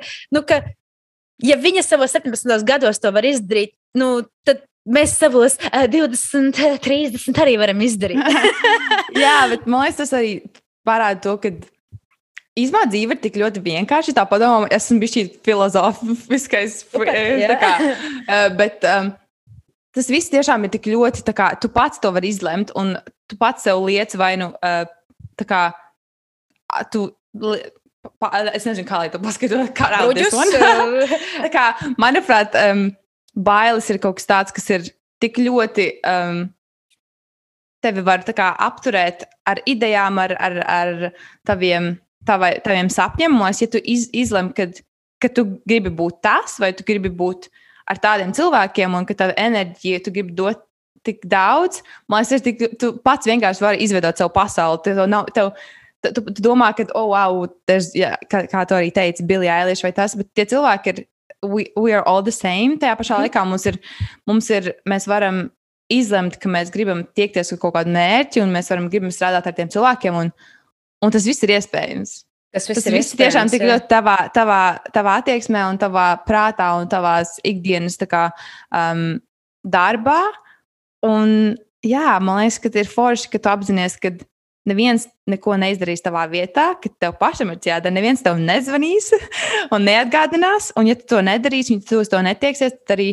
ja viņa savos 17 gados to var izdarīt, tad mēs savos 20, 30 arī varam izdarīt. Jā, bet man liekas, tas arī parāda to, ka īstenībā dzīve ir tik ļoti vienkārši. Tā padomā, esmu bišķi filozofiskais, tā kā, bet tas viss tiešām ir tik ļoti, tā kā tu pats to vari izlemt, un tu pats sev liec vai tā kā tu... Es nezinu, kā lai to paskaidrotu. Tā kā, manuprāt, bailes ir kaut kas tāds, kas ir tik ļoti tevi var tā kā apturēt ar idejām, ar taviem sapņiem. Ja tu izlem, ka tu gribi būt tas, vai tu gribi būt ar tādiem cilvēkiem, un ka tava enerģija, tu gribi dot tik daudz, man liekas, tu pats vienkārši vari izveidot savu pasauli. Tu domā, ka, wow, kā tu arī teici, Billie Eilish vai tas, bet tie cilvēki ir, we are all the same. Tajā pašā laikā mēs varam izlemt, ka mēs gribam tiekties ar kaut kādu mērķi, un mēs gribam strādāt ar tiem cilvēkiem, un tas viss ir iespējams. Tas viss tiešām tik ļoti tavā attieksmē, un tavā prātā, un tavās ikdienas darbā. Un jā, man liekas, ka ir forši, ka tu apzinies, ka neviens neko neizdarīs tavā vietā, ka tev pašam ir jādara, neviens tev nezvanīs un neatgādinās, un ja tu to nedarīsi, un tu uz to netieksies, tad arī,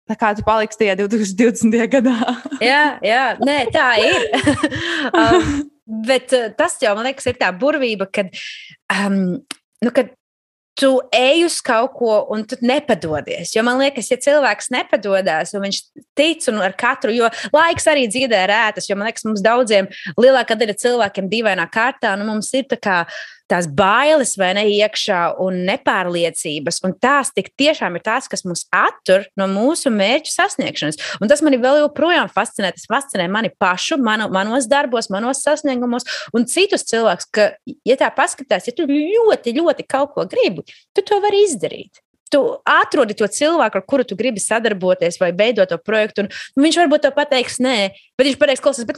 tā kā tu paliksi tajā 2020. gadā. Jā, nē, tā ir. Bet tas jau, man liekas, ir tā burvība, kad tu ej uz kaut ko un tu nepadodies. Jo man liekas, ja cilvēks nepadodas un viņš tic un ar katru, jo laiks arī dziedē rētas, jo man liekas, mums daudziem lielākā daļa cilvēkiem dīvainā kārtā, mums ir tā kā tās bailes vai ne iekšā un nepārliecības, un tās tik tiešām ir tās, kas mūs attur no mūsu mērķu sasniegšanas. Un tas mani vēl joprojām fascinē. Tas fascinē mani pašu, manos darbos, manos sasniegumos un citus cilvēkus, ka, ja tā paskatās, ja tu ļoti, ļoti kaut ko gribi, tu to vari izdarīt. Tu atrodi to cilvēku, ar kuru tu gribi sadarboties vai veidot to projektu, un viņš varbūt to pateiks nē, bet viņš pateiks, klausies, bet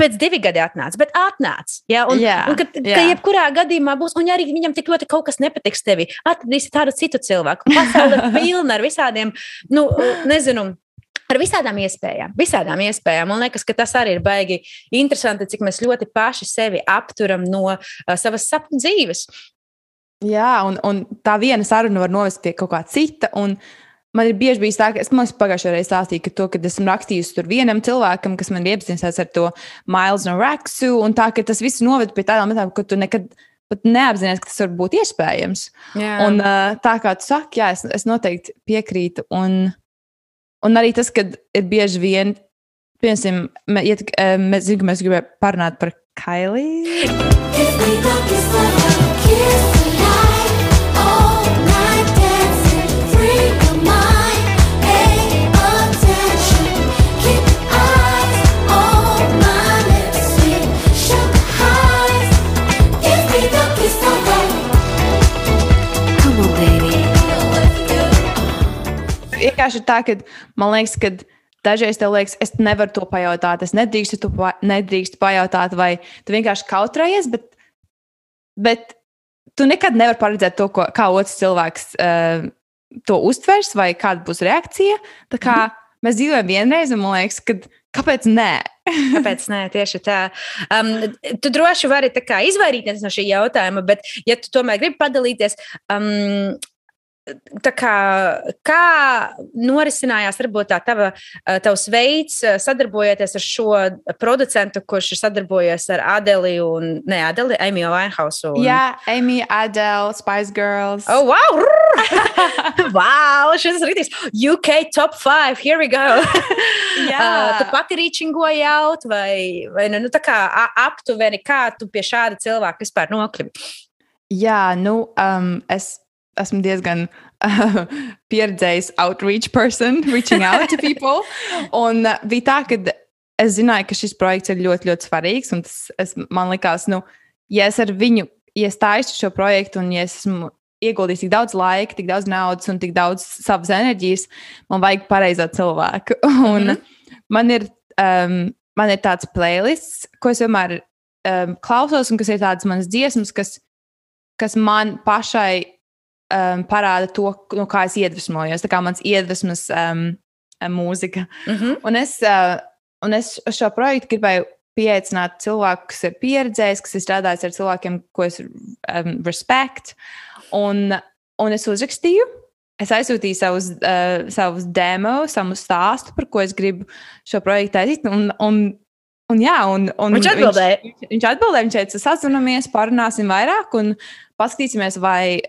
pēc 2 gadi atnāc, bet atnāc. Ja? Un ka jebkurā gadījumā būs, un ja arī viņam tik ļoti kaut kas nepatiks tevi, atradīsi tādu citu cilvēku. Pasaule ir pilna ar visādiem, ar visādām iespējām. Man liekas, ka tas arī ir baigi interesanti, cik mēs ļoti paši sevi apturam no savas sapņu dzīves. Jā, un tā viena saruna var novest pie kaut kā cita, un man ir bieži bijis tā, ka es pagājušajā reizē stāstīju, kad esmu rakstījusi tur vienam cilvēkam, kas man ir iepazīstināts ar to Miles no Raksu, un tā, ka tas viss noved pie tādām lietām, ka tu nekad pat neapzinies, ka tas var būt iespējams. Jā. Un tā kā tu saki, jā, es noteikti piekrītu. Un arī tas, kad ir bieži vien, piemēram, mēs gribējām parunāt par Kylie. Vienkārši ir tā, ka man liekas, ka dažreiz tev liekas, es nevaru to pajautāt, es nedrīkstu pajautāt, vai tu vienkārši kautrējies, bet tu nekad nevari paredzēt to, kā otrs cilvēks to uztvers, vai kāda būs reakcija. Tā kā mēs dzīvojam vienreiz, un man liekas, kāpēc nē? Kāpēc nē, tieši tā. Tu droši vari tā kā izvairīties no šī jautājuma, bet ja tu tomēr gribi padalīties, tā kā norisinājās varbūt tavs veids sadarbojoties ar šo producentu, kurš ir sadarbojies ar Amy Winehouse? Jā, Amy, Adele, Spice Girls. Oh, wow! Wow, šis ir rītīgs. UK top 5, here we go. Tu pati rīčingoji out vai tā kā aptuveni, kā tu pie šāda cilvēka vispār nokļuvi? Jā, es esmu diezgan pieredzējis outreach person, reaching out to people. Un bija tā, ka es zināju, ka šis projekts ir ļoti, ļoti svarīgs. Un man likās, ja es ar viņu iestāju šo projektu, un ja es esmu ieguldījis tik daudz laika, tik daudz naudas un tik daudz savas enerģijas, man vajag pareizo cilvēku. Un man ir tāds playlists, ko es vienmēr klausos, un kas ir tādas manas dziesmas, kas man pašai parāda to, no kā es iedvesmojos. Tā kā mans iedvesmas mūzika. Un es šo projektu gribēju pieaicināt cilvēku, kas ir pieredzējis, kas ir strādājis ar cilvēkiem, ko es respect. Un es uzrakstīju. Es aizsūtīju savus demo, savu stāstu, par ko es gribu šo projektu taisīt. Un Viņš atbildēja. Viņš atbildēja, viņš teica, sazvanamies, parunāsim vairāk un paskatīsimies, vai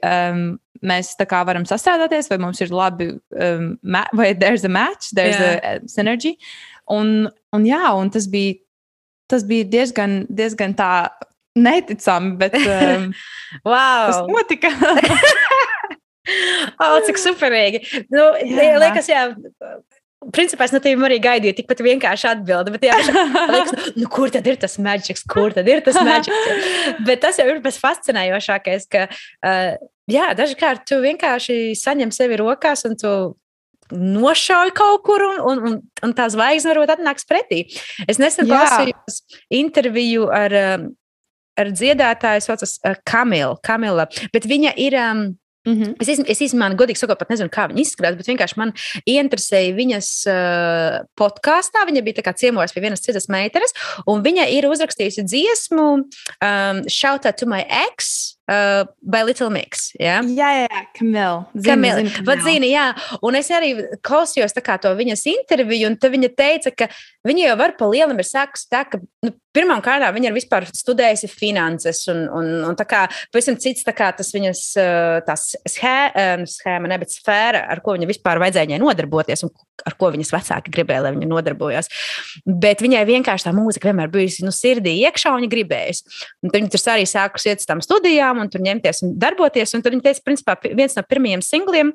mēs tā kā varam sastrādāties, vai mums ir labi, vai there's a match, there's a synergy. Un tas bija diezgan tā neticami, bet tas notika. Cik superīgi. Liekas, principā es no tevis arī gaidīju tikpat vienkārši atbildi, bet liekas, kur tad ir tas magics, Bet tas jau ir pēc fascinējošākais, ka, dažkārt tu vienkārši saņem sevi rokās un tu nošauj kaut kur un tā zvaigzne varbūt atnāks pretī. Es nesen klausījos interviju ar dziedātāju, saucas Kamila, bet viņa ir... Es īstenībā, godīgi sakot, pat nezinu, kā viņa izskatās, bet vienkārši man ieinteresēja viņas podkāstā. Viņa bija tā kā ciemojās pie vienas citas meitenes, un viņa ir uzrakstījusi dziesmu Shout Out to My Ex by Little Mix. Jā, Kamila. Zini, jā. Un es arī klausījos tā kā to viņas interviju, un tad viņa teica, ka viņa jau var pa lielam ir sākusi tā, ka pirmām kārtām viņa ir vispār studējusi finanses, un tā kā pavisam cits tā kā tas viņas tās schēma, ne, bet sfēra, ar ko viņa vispār vajadzēja viņai nodarboties, un ar ko viņas vecāki gribēja, lai viņa nodarbojās. Bet viņai vienkārši tā mūzika vienmēr bijusi sirdī iekšā, un viņa gribējusi. Un tad viņa tur arī sākusi iet uz tām studijām, un tur ņemties un darboties, un tad viņa teica, principā, viens no pirmajiem singliem,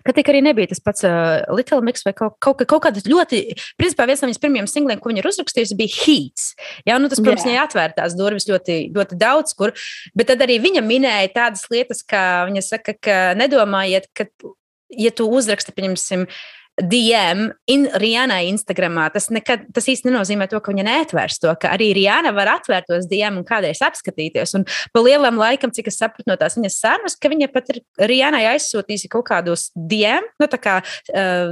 ka tik arī nebija tas pats Little Mix vai kaut kāda ļoti, principā viens no viņas pirmajiem singliem, ko viņa ir uzrakstījusi, bija Heats. Jā, tas, protams, viņai atvērtās durvis ļoti, ļoti daudz kur, bet tad arī viņa minēja tādas lietas, kā viņa saka, ka nedomājiet, ka, ja tu uzraksti, pieņemsim, DM Rihanai Instagramā, tas īsti nenozīmē to, ka viņa neatvērs to, ka arī Rihanna var atvērt tos DM un kādreiz apskatīties. Un pa lielam laikam, cik es sapratu no tās viņas sarunas, ka viņa pat ir Rihanai aizsūtījusi kaut kādus DM, tā kā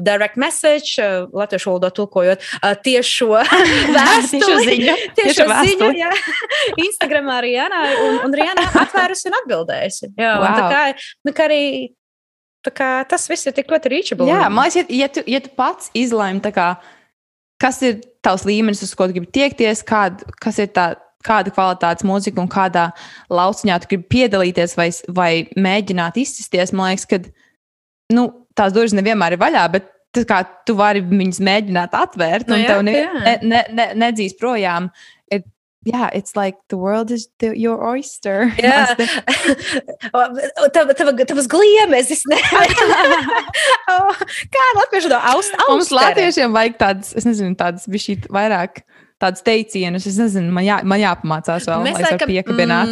direct message, latviešu valodā tulkojot, tiešo vēstuli. Tiešo ziņu, jā. Instagramā Rihanai, un Rihanna atvērusi un atbildējusi. Jā, un tā kā arī tā kā tas viss ir tik ļoti reachable. Jā, man liekas, ja tu pats izlēmi, kas ir tavs līmenis, uz ko tu gribi tiekties, kas ir kāda kvalitātes mūzika un kādā lauciņā tu gribi piedalīties vai mēģināt izsisties, man liekas, ka tās durvis nevienmēr ir vaļā, bet tā kā tu vari viņas mēģināt atvērt, un tev nedzīs projām. Yeah, it's like the world is your oyster. Jā, tavas gliemezis, ne? Kā latviešu to austeri? Mums latviešiem vajag tādas bišķīt vairāk tādas teicienus, es nezinu, man jāpamācās vēl, lai es varu piekabināt.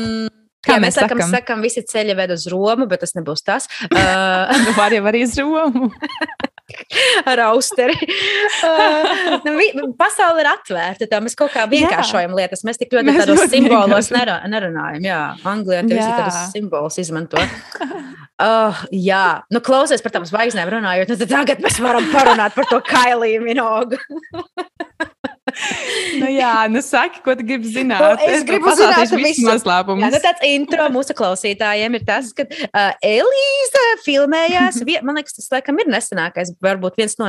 Kā mēs sakam, visi ceļi ved uz Romu, bet tas nebūs tas. Var jau arī uz Romu. Ar austeri. Pasaule ir atvērta, tā mēs kaut kā vienkāršojam lietas. Mēs tik ļoti tādos simbolos nerunājam. Jā, Anglijā tie visi tādos simbolus izmanto. Jā, klausies par tām zvaigznēm runājot, tad tagad mēs varam parunāt par to Kailiju Minogu. Saki, ko tu gribi zināt. Es gribu zināt visu noslēpumus. Jā, tāds intro mūsu klausītājiem ir tas, ka Elīza filmējās, man liekas, tas laikam ir nesenākais, varbūt viens no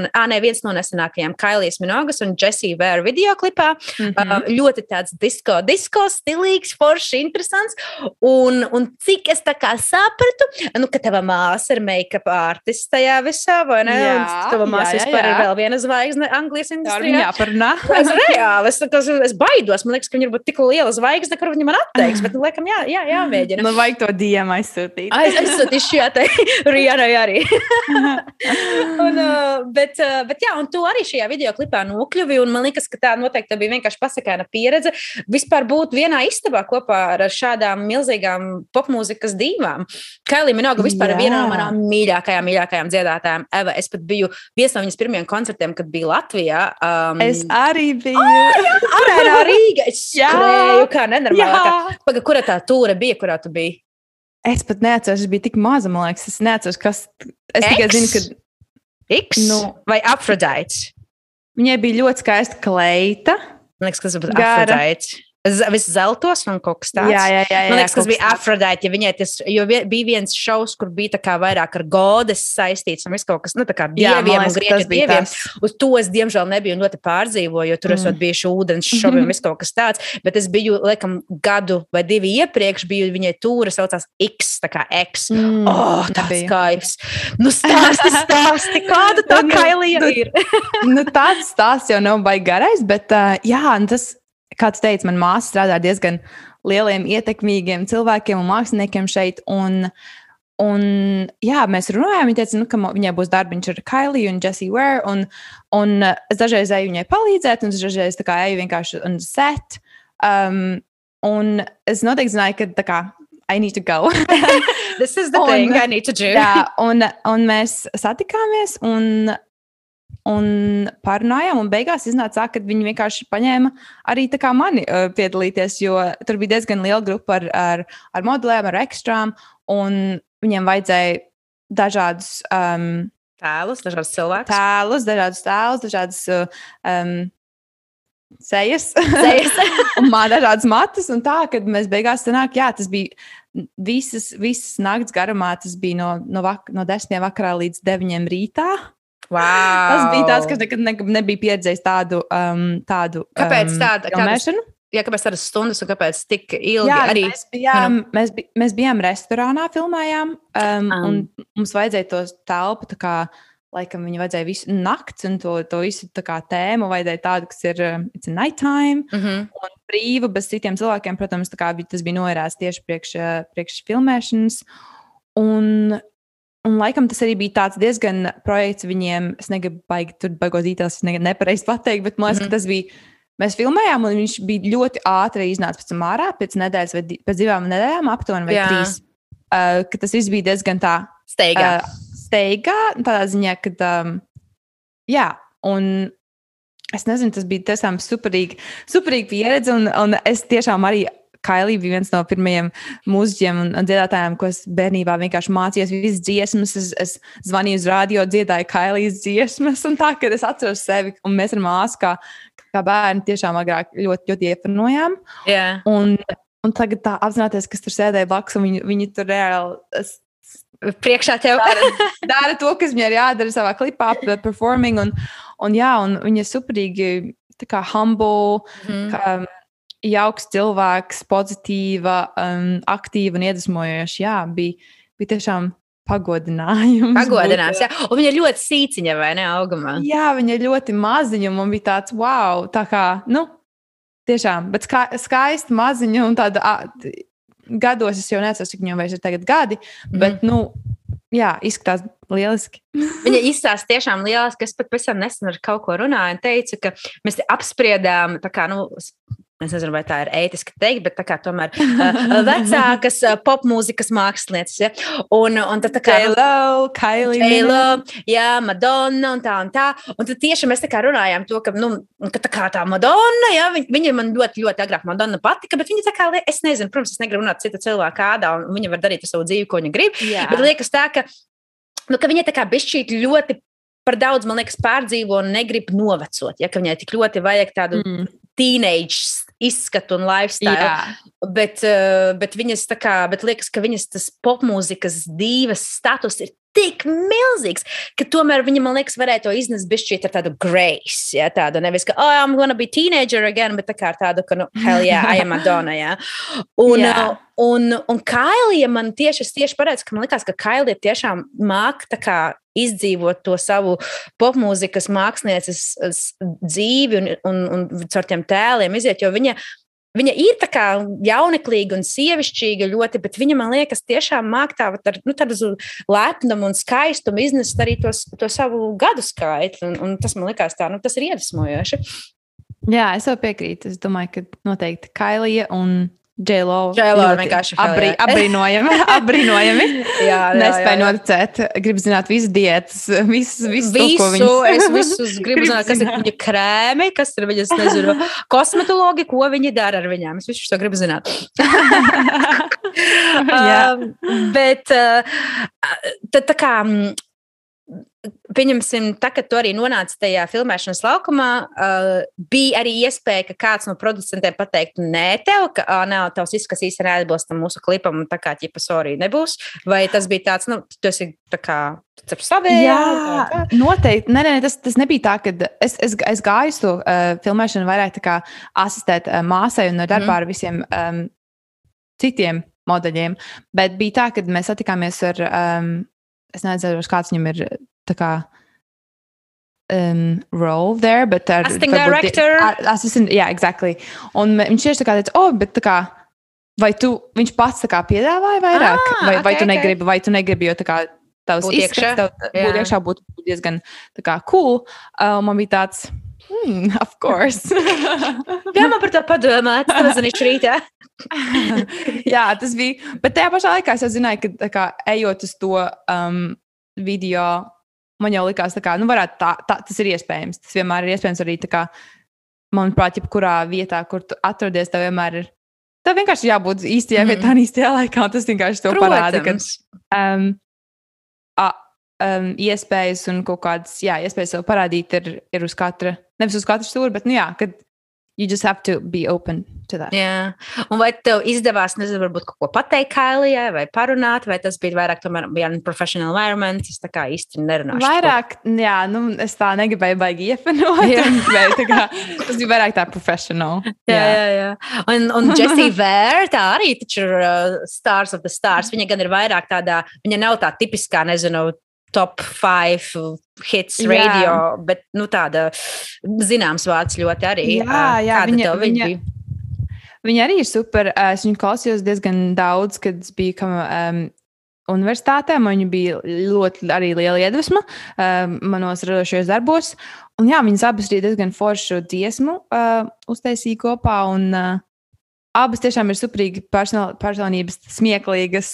nesenākajiem Kailijas Minogas un Jessie Ware videoklipā. Ļoti tāds disko stilīgs, forši, interesants. Un cik es tā kā sapratu, ka tava māsa ir make-up artist tajā visā, vai ne? Un tava māsa vispār ir vēl viena zvaigzne Anglijas industrijā. Reāli, es baidos, man liekas, ka viņa ir būt tik liela zvaigzne, kur viņa man atteiks, bet, laikam, jāmēģina. Vajag to DM aizsūtīt. Aizsūtīšu, tai Rihanai arī. Un tu arī šajā videoklipā nokļuvi, un man liekas, ka tā noteikti bija vienkārši pasakaina pieredze vispār būt vienā istabā kopā ar šādām milzīgām popmūzikas divām. Kailija Minoga vispār ir viena no manām mīļākajām dziedātājām. Es pat biju viens no viņas pirmajiem koncertiem, kad biju Latvijā. Es arī biju. Arēnā Rīga. Es skrēju kā nenormālākā. Kura tā tūre bija, kurā tu biji? Es pat neatceros, es biju tik maza, man liekas. Es neatceros, kas... Es tikai zinu, ka... X vai Aphrodite? Viņai bija ļoti skaista kleita. Man liekas, kas būtu Aphrodite. Viss zeltos un kaut kas tāds. Jā, Man liekas, kas bija Afrodite, ja viņai jo bija viens šovs, kur bija tā kā vairāk ar godes saistīts un viss kaut kas, tā kā dieviem un grieķu dieviem. Uz to es, diemžēl, nebiju ļoti pārdzīvoju, jo tur esot bijuši ūdens šovi un viss kaut kas tāds, bet es biju, laikam, gadu vai 2 iepriekš, biju viņai tūra saucās X, tā kā X. Tāds kaifs. Stāsti, kāda tā Kailija ir? Tāds stāsts jau nav baigi garais, bet tas, kā tu teici, man māsa strādā diezgan lieliem, ietekmīgiem cilvēkiem un māksliniekiem šeit. Un mēs runājām, viņa teica, ka viņai būs darbiņš ar Kailiju un Jessie Ware. Un es dažreiz eju viņai palīdzēt, un es dažreiz eju vienkārši un set. Un es noteikti zināju, ka tā kā I need to go. This is the thing I need to do. Jā, un mēs satikāmies un parunājām, un beigās iznāca, ka viņi vienkārši paņēma arī tā kā mani piedalīties, jo tur bija diezgan liela grupa ar modelēm, ar ekstrām, un viņiem vajadzēja dažādus tēlus, dažādus dažādas sejas, un dažādas matas, un tā, kad mēs beigās sanāk, tas bija visas nakts garumā, tas bija no 10 vakarā līdz 9 rītā. Wow. Tas bija tāds, kas nekad nebija pieredzējis tādu kāpēc tāda filmēšanu. Kāpēc tādas stundas un kāpēc tik ilgi? Mēs bijām restorānā, filmējām, un mums vajadzēja to telpu, tā kā, laikam viņi vajadzēja visu nakts, un to visu tā kā tēmu vajadzēja tādu, kas ir it's a nighttime, un brīva, bez citiem cilvēkiem, protams, tā kā tas bija noērēts tieši priekš filmēšanas, un laikam tas arī bija tāds diezgan projekts viņiem, es negribu baigos details, es nepareizi pateikt, bet man liekas, ka tas bija, mēs filmējām, un viņš bija ļoti ātri iznāca pēc tam ārā, pēc nedēļas vai pēc 2 nedēļām aptuveni vai 3, ka tas viss bija diezgan tā steigā, tādā ziņā, ka un es nezinu, tas bija tiešām superīgi pieredze, un es tiešām arī Kailija bija viens no pirmajiem mūziķiem un dziedātājiem, ko es bērnībā vienkārši mācījos visas dziesmas. Es zvanīju uz radio, dziedāju Kailijas dziesmas, un tā, kad es atceros sevi, un mēs ar māsu kā bērni tiešām agrāk ļoti, ļoti iepanojām. Yeah. Un tagad tā apzināties, kas tur sēdēja blakus, un viņi tur reāli priekšā tev dara to, kas viņai ir jādara savā klipā, performing, un viņa superīgi tā kā humble, jauks cilvēks, pozitīva, aktīva un iedvesmojoša. Jā, bija tiešām pagodinājums. Jā. Un viņa ir ļoti sīciņa, vai ne, augumā? Jā, viņa ir ļoti maziņa, un man bija tāds, wow, tā kā, tiešām, bet skaisti maziņa, un tāda, gados es jau necos, cik viņam vairs ir tagad gadi, bet, izskatās lieliski. Viņa izstāsta tiešām lieliski, es pat pēc tam nesen ar kaut ko runāju un teicu, ka mēs apspriedām, tā kā, es nezinu, vai tā ir ētiski teikt, bet tā kā tomēr vecākas popmūzikas mākslinieces, ja? Un tad tā kā J.Lo, Kylie, Madonna un tā. Un tad tieši mēs tā kā runājām to, ka tā kā tā Madonna, ja? Viņa man ļoti, ļoti agrāk Madonna patika, bet viņa tā kā, es nezinu, protams, es negribu runāt citu cilvēku kādā, un viņa var darīt savu dzīvi, ko viņa grib, bet liekas tā, ka viņa tā kā bišķīt ļoti par daudz, man liekas, pārdzīvo un negrib novecot, ja? Ka viņai tik ļoti vajag tādu teenage izskatu un lifestyle, bet viņas tā kā, bet liekas, ka viņas tas popmūzikas divas status ir tik milzīgs, ka tomēr viņa, man liekas, varēja to iznest bišķīt ar tādu grace, ja, tādu nevis, ka, I'm gonna be teenager again, bet tā kā ar tādu, ka, hell yeah, I am Madonna, ja. Un Kailija man tieši paredz, ka man likās, ka Kailija tiešām māk tā kā izdzīvot to savu popmūzikas mākslinieces dzīvi un caur tiem tēliem iziet, jo viņa ir tā kā jauneklīga un sievišķīga ļoti, bet viņa, man liekas, tiešām māk tādu lepnumu un skaistumu iznest arī to savu gadu skaitu, un tas, man likās tā, tas ir iedvesmojoši. Jā, es jau piekrītu. Es domāju, ka noteikti Kailija un J.Lo vienkārši apbrīnojami. Nespēju noticēt. Gribu zināt visu diētas, visu to, ko viņas... Es visus gribu zināt, kas ir viņa krēmi, kas ir viņas, nezinu, kosmetologi, ko viņi dara ar viņām. Es visu to gribu zināt. Bet tā kā... pieņemsim, tā, kad tu arī nonāci tajā filmēšanas laukumā, bija arī iespēja, ka kāds no producentiem pateiktu, nē, tev, ka nav tavs viss, kas īsti neatbilst mūsu klipam, un tā kā ķipa sorry nebūs. Vai tas bija tāds, tu esi tā kā ar savējā? Jā, noteikti. Nē, tas nebija tā, ka es gāju uz to filmēšanu vairāk tā kā asistēt māsai un no darbā ar visiem citiem modeļiem. Bet bija tā, ka mēs satikāmies ar, es nezinu, kāds viņam ir tā kā role there, bet casting director. Jā, exactly. Un viņš tieši tā kā teica, bet tā kā, viņš pats tā kā piedāvāja vairāk, vai tu negribi, jo tā kā tavs izskats, būt iekšā būtu diezgan tā kā cool. Man bija tāds, of course. Jā, man par to padomāt, tas mazanīšu rītā. Jā, tas bija, bet tajā pašā laikā es jau zināju, ka tā kā ejot uz to video, man jau likās, ka tas ir iespējams. Tas vienmēr ir iespējams arī, manuprāt, jebkurā vietā, kur tu atrodies, tev vienmēr ir. Tev vienkārši jābūt īstajā vietā un īstajā laikā, un tas vienkārši to parāda. Iespējas un kaut kādas, iespējas sev parādīt ir uz katra, nevis uz katru stūri, bet, kad you just have to be open to that. Jā, un vai tev izdevās, nezinu, varbūt kaut ko pateikt Kailijai vai parunāt, vai tas bija vairāk tomēr bija professional environment, es tā kā īsti nerunāšu. Vairāk, es tā negribēju baigi iefanot, tas bija vairāk tā professional. Jā. Un Jessie Ware, tā arī taču ir stars of the stars, viņa gan ir vairāk tādā, viņa nav tā tipiskā, nezinu, top 5 hits radio, bet tāda zināms vārds ļoti arī. Jā, viņa arī ir super. Es viņu klausījos diezgan daudz, kad es biju universitātē. Viņa bija ļoti arī liela iedvesma manos radošajos darbos. Un viņas abas arī diezgan foršu dziesmu uztaisīja kopā. Un abas tiešām ir superīgi personības, smieklīgas.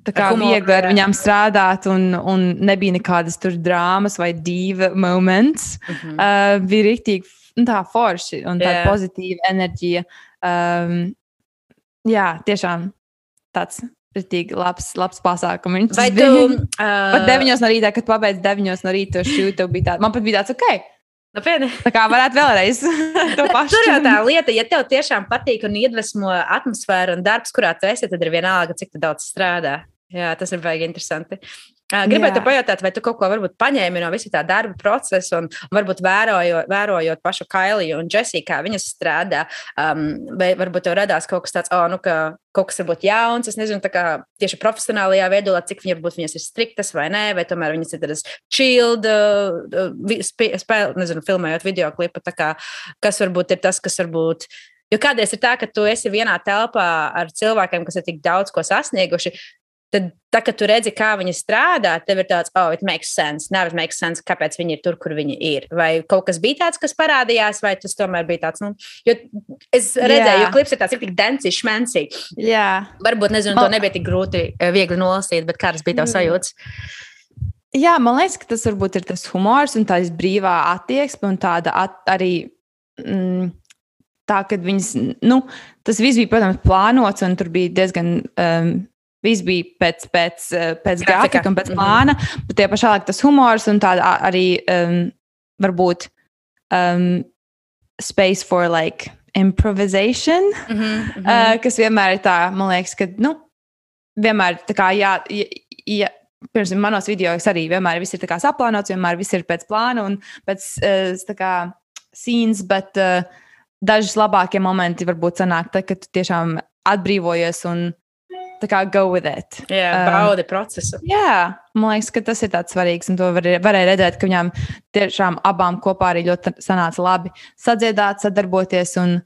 Tā kā viegli ar viņām strādāt, un nebija nekādas tur drāmas vai diva moments. Bija rīktīgi tā forši un tāda pozitīva enerģija. Jā, tiešām tāds rīktīgi labs pasākums. Vai tu... Pat 9 no rītā, kad pabeidz 9 no rīta to šūtu, man pat bija tāds, ok. Tā kā varētu vēlreiz to pašu. Tur jau tā lieta, ja tev tiešām patīk un iedvesmo atmosfēra un darbs, kurā tu esi, tad ir vienalga, cik tu daudz strādā. Jā, tas ir baigi interesanti. Gribētu pajautāt, vai tu kaut ko varbūt paņēmi no visa tā darba procesa un varbūt vērojot pašu Kailiju un Jessie, kā viņas strādā, vai varbūt tev radās kaut kas tāds, ka kaut kas varbūt jauns, es nezinu, tā kā tieši profesionālajā veidolā, cik viņas ir striktas vai nē, vai tomēr viņas ir tādas chilled, nezinu, filmējot videoklipu, tā kā, kas varbūt ir tas, kas varbūt, jo kādreiz ir tā, ka tu esi vienā telpā ar cilvēkiem, kas ir tik daudz ko sasnieguši, tad, kad tu redzi, kā viņi strādā, tev ir tāds, it makes sense. Now it makes sense, kāpēc viņi ir tur, kur viņi ir. Vai kaut kas bija tāds, kas parādījās, vai tas tomēr bija tāds, jo es redzēju, jo klips ir tāds, tik densi, šmensi. Jā. Varbūt, nezinu, to nebija tik grūti, viegli nolasīt, bet kādas bija tavs sajūtas? Jā, man liekas, ka tas varbūt ir tas humors un tās brīvā attieksme un tāda arī tā, kad viņas, tas viss bija, protams, plānots un tur bija diezgan... Viss bija pēc grafika un pēc plāna, bet tie pašā laikā tas humors un tāda arī varbūt space for like improvisation, kas vienmēr ir tā, man liekas, ka, vienmēr tā kā pirms manos videos arī vienmēr viss ir tā kā saplānots, vienmēr viss ir pēc plāna un pēc tā kā scenes, bet dažas labākie momenti varbūt sanāk tā, ka tu tiešām atbrīvojies un tā kā go with it. Jā, baudi procesu. Jā, man liekas, ka tas ir tāds svarīgs, un to varēja redzēt, ka viņām tiešām abām kopā arī ļoti sanāca labi sadziedāt, sadarboties un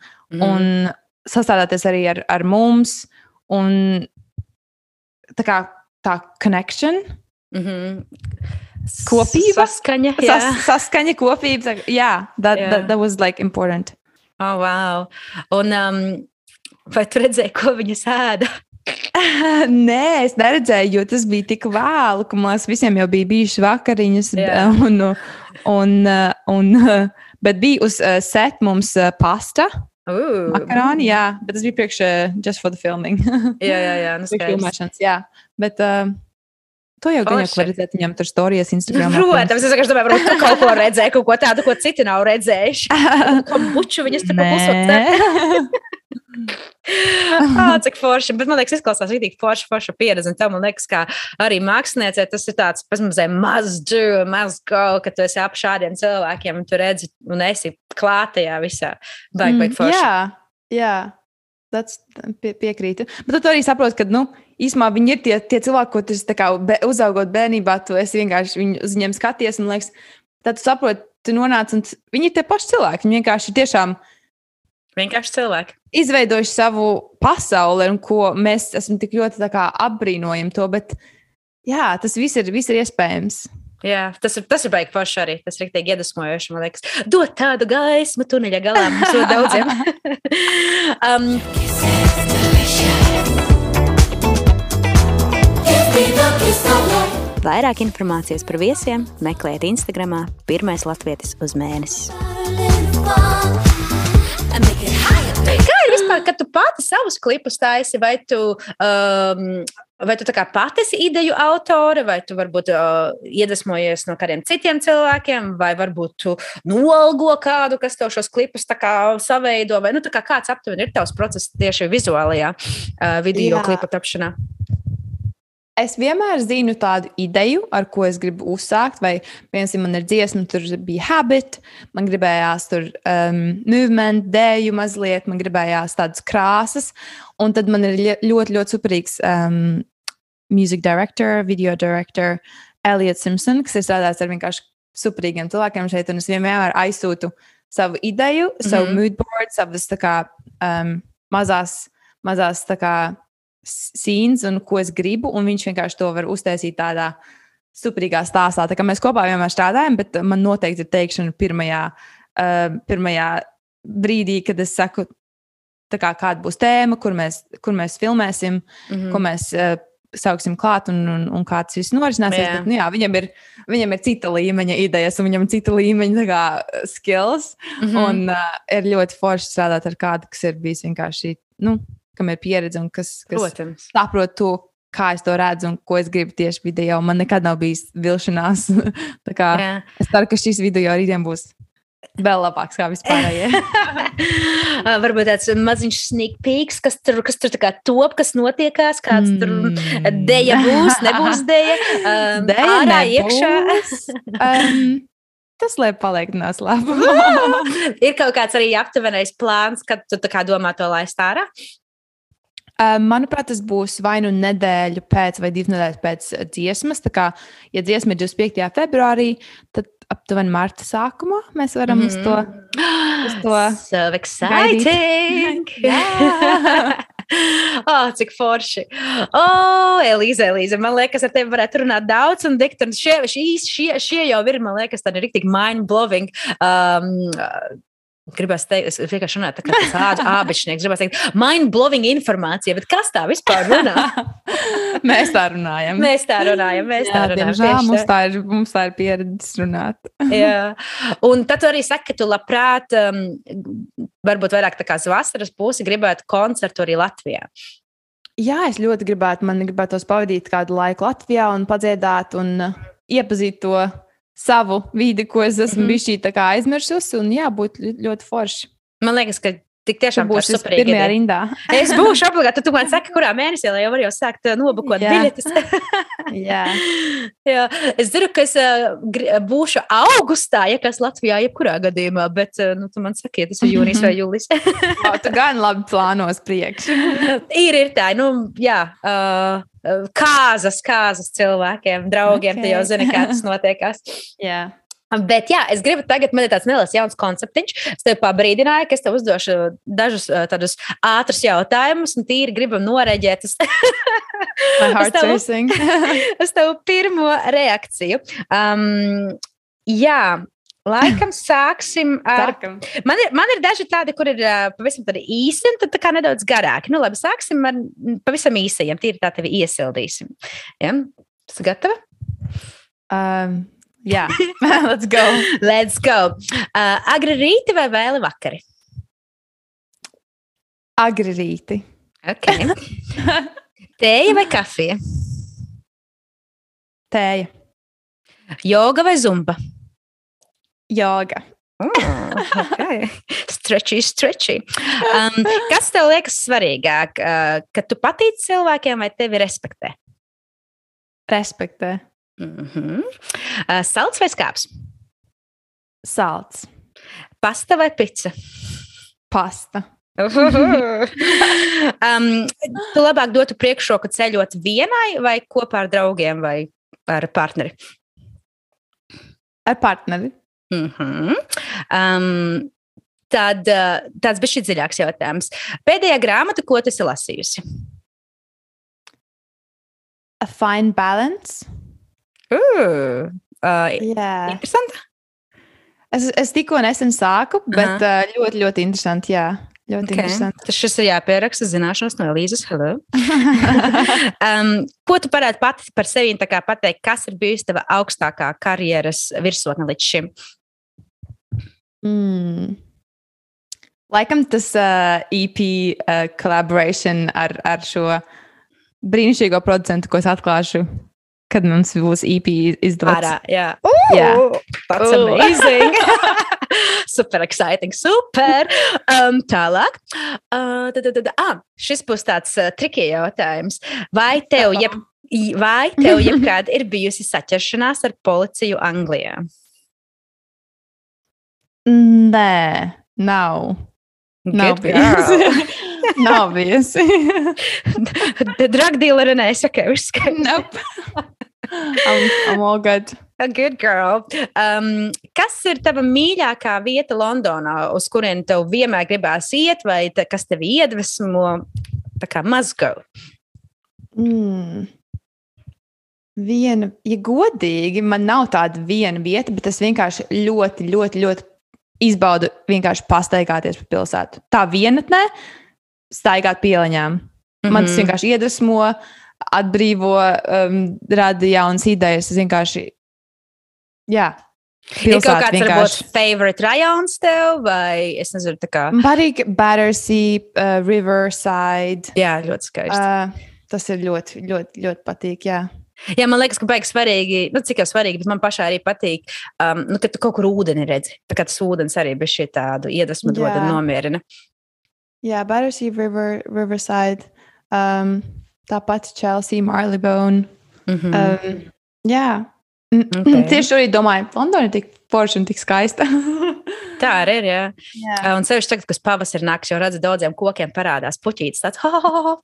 sastādāties arī ar mums, un tā kā tā connection, kopība. Saskaņa, saskaņa, kopība, that was like important. Oh, wow. Un vai tu redzēji, ko viņas ēda? Nē, es neredzēju, jo tas bija tik vēlu, ka mums visiem jau bija bijušas vakariņas. Bet bija uz set mums pasta, makaroni, bet tas bija priekš just for the filming. Jā, filmēšanas, bet To jau gan var redzēt viņam tur storijas Instagram. Protams, es vienkārši domāju, varbūt tu kaut ko redzēji, kaut ko tādu, ko citi nav redzējuši. Kombuču viņas tur pusot. Cik forši, bet man liekas, izklausās rītīgi forša pieredze, un tev, man liekas, kā arī māksliniecē, tas ir tāds, must do, must go, ka tu esi ap šādiem cilvēkiem, un tu redzi, un esi klātajā visā. Baigi forši. Jā, tas piekrītu. Bet tu arī saproti, ka, īsumā viņi ir tie cilvēki, ko tu uzaugot bērnībā, tu esi vienkārši uz viņiem skaties, un liekas, tad tu saproti, tu nonāc, un viņi ir tie paši cilvēki, viņi vienkārši tiešām vienkārši cilvēki. Izveidojuši savu pasauli, un ko mēs esam tik ļoti apbrīnojam to, bet jā, tas viss ir iespējams. Jā, tas ir baigi forši arī. Tas ir rīktīgi iedvesmojoši, man liekas. Dot tādu gaismu tuneļa galā mums ļoti daudziem. Vairāk informācijas par viesiem meklējiet Instagramā Pirmais latvietis uz mēnesi. Kā ir vispār, kad tu pati savus klipus taisi, vai tu tā kā pati esi ideju autore, vai tu varbūt iedvesmojies no kādiem citiem cilvēkiem, vai varbūt tu nolgo kādu, kas tev šos klipus tā kā saveido, vai tā kā kāds aptuveni ir tavs process tieši vizuālajā video klipu tapšanā? Es vienmēr zinu tādu ideju, ar ko es gribu uzsākt, vai, piemēram, man ir dziesma, tur bija habit, man gribējās tur movement, dēju mazliet, man gribējās tādas krāsas, un tad man ir ļoti, ļoti superīgs music director, video director, Elliot Simpson, kas ir strādājis ar vienkārši superīgiem cilvēkiem šeit, un es vienmēr aizsūtu savu ideju, savu moodboard, savas tā kā mazās tā kā scenes un ko es gribu, un viņš vienkārši to var uztaisīt tādā superīgā stāstā. Tā kā mēs kopā vienmēr strādājam, bet man noteikti ir teikšana pirmajā brīdī, kad es saku, tā kā kāda būs tēma, kur mēs filmēsim, ko mēs sauksim klāt un kā tas viss norisināsies. Bet, viņam ir cita līmeņa idejas, un viņam ir cita līmeņa tā kā skills, un ir ļoti forši strādāt ar kādu, kas ir bijis vienkārši, kam ir pieredze un kas saprot to, kā es to redzu un ko es gribu tieši video. Man nekad nav bijis vilšanās. Tā kā es ceru, ka šis video rītdien būs vēl labāks kā vispārējie. Varbūt tāds maziņš sneak peeks, kas tur tā kā top, kas notiekās, kāds tur deja būs, nebūs deja. Deja ārā, nebūs. Iekšā. Tas, lai paliek noslēpumā. Ir kaut kāds arī aptuvenais plāns, kad tu tā kā domā to laist ārā? Manuprāt, tas būs vai nu nedēļu pēc vai 2 nedēļas pēc dziesmas. Tā kā, ja dziesma ir 25. februārī, tad aptuveni marta sākumā mēs varam uz to So exciting! Cik forši! Elīze, man liekas, ar tevi varētu runāt daudz, un šie jau ir, man liekas, tādi riktīgi mind-blowing. Gribas teikt, es vienkārši runāju tā kā tāds ābečnieks, gribas teikt mind-blowing informācija, bet kas tā vispār runā? Mēs tā runājam. Diemžēl mums tā ir pieredze runāt. Jā. Un tad tu arī saki, ka tu labprāt, varbūt vairāk tā kā uz vasaras pusi gribētu koncertu arī Latvijā. Jā, es ļoti gribētu, man gribētos pavadīt kādu laiku Latvijā un padziedāt un iepazīt to savu vidi, ko es esmu bišķī tā kā aizmirsusi, un jā, būtu ļoti forši. Man liekas, ka tik tiešām būs pirmajā rindā. Es būšu obligāti, tu man saki, kurā mēnesī, lai jau var jau sākt nobukot biļetes. Jā. Es zinu, ka es būšu augustā, ja kas Latvijā jebkurā gadījumā, bet tu man saki, ja tas ir jūnijas vai jūlis. Tu gan labi plānos priekš. Ir tā, kāzas cilvēkiem, draugiem, tu jau zini, kā tas notiekās. Jā. Bet jā, es gribu tagad, man ir tāds neliels jauns konceptiņš. Es tev pabrīdināju, ka es tev uzdošu dažus tādus ātrus jautājumus un tīri gribu noreģēt My heart's racing. Uz tavu pirmo reakciju. Jā, laikam sāksim ar... Man ir daži tādi, kur ir pavisam tādi īsi un tad tā kā nedaudz garāki. Labi, sāksim ar pavisam īsajiem, tīri tā tevi iesildīsim. Ja? Tas gatava? Jā, let's go. Agri rīti vai vēli vakari? Agri rīti. Ok. Tēja vai kafija? Tēja. Joga vai zumba? Joga. Okay. Stretchy. Kas tev liekas svarīgāk? Kad tu patīc cilvēkiem vai tevi respektē? Respektē. Salds vai skāps? Salds. Pasta vai pica? Pasta. Tu labāk dotu priekšroku ceļot vienai vai kopā ar draugiem vai ar partneri? Ar partneri. Tad tāds bija šī dziļāks jautājums. Pēdējā grāmata, ko tu esi lasījusi? A Fine Balance. Interesanti. Es tikko nesen sāku, bet ļoti, ļoti interesanti, jā. Ļoti interesanti. Tas šis ir jāpieraksta zināšanas no Elīzes. Hello. Ko tu varētu pati par sevi tā kā pateikt, kas ir bijusi tava augstākā karjeras virsotne līdz šim? Laikam tas EP collaboration ar šo brīnišķīgo producentu, ko es atklāšu, kad mums būs EP izdots. Ārā, jā. That's amazing. Super exciting, super. Tālāk. Šis būs tāds tricky jautājums. Vai tev jebkād ir bijusi saķeršanās ar policiju Anglijā? Nē, nav. Nav bijusi. Nav bijusi. Drug dealer neesi, okay, viss skaidrs. Nope. I'm all good. A good girl. Kas ir tava mīļākā vieta Londonā, uz kurien tev vienmēr gribās iet, vai kas tevi iedvesmo? Tā kā must go. Ja godīgi, man nav tāda viena vieta, bet es vienkārši ļoti, ļoti, ļoti izbaudu vienkārši pastaigāties pa pilsētu. Tā vienatnē staigāt pieliņām. Man tas vienkārši iedvesmo, atbrīvo, rada jaunas idejas. Es vienkārši, jā, ir kaut kāds varbūt favorite rajons tev, vai es nezinu, tā kā... Patīk Battersea, Riverside. Jā, ļoti skaisti. Tas ir ļoti, ļoti, ļoti patīk, jā. Jā, man liekas, ka baigi svarīgi, cik jau svarīgi, bet man pašā arī patīk, ka tu kaut kur ūdeni redzi. Tā kā tas ūdens arī bija šī tādu iedvesmu dod un nomierina. Jā, Battersea, Riverside, tāpat Chelsea, Marylebone. Jā. Tieši arī domāju, Londona ir tik forša un tik skaista. Tā arī ir, jā. Un sevišķi tagad, kas pavasar nāks, jau redzu daudziem kokiem parādās puķītes, tāds,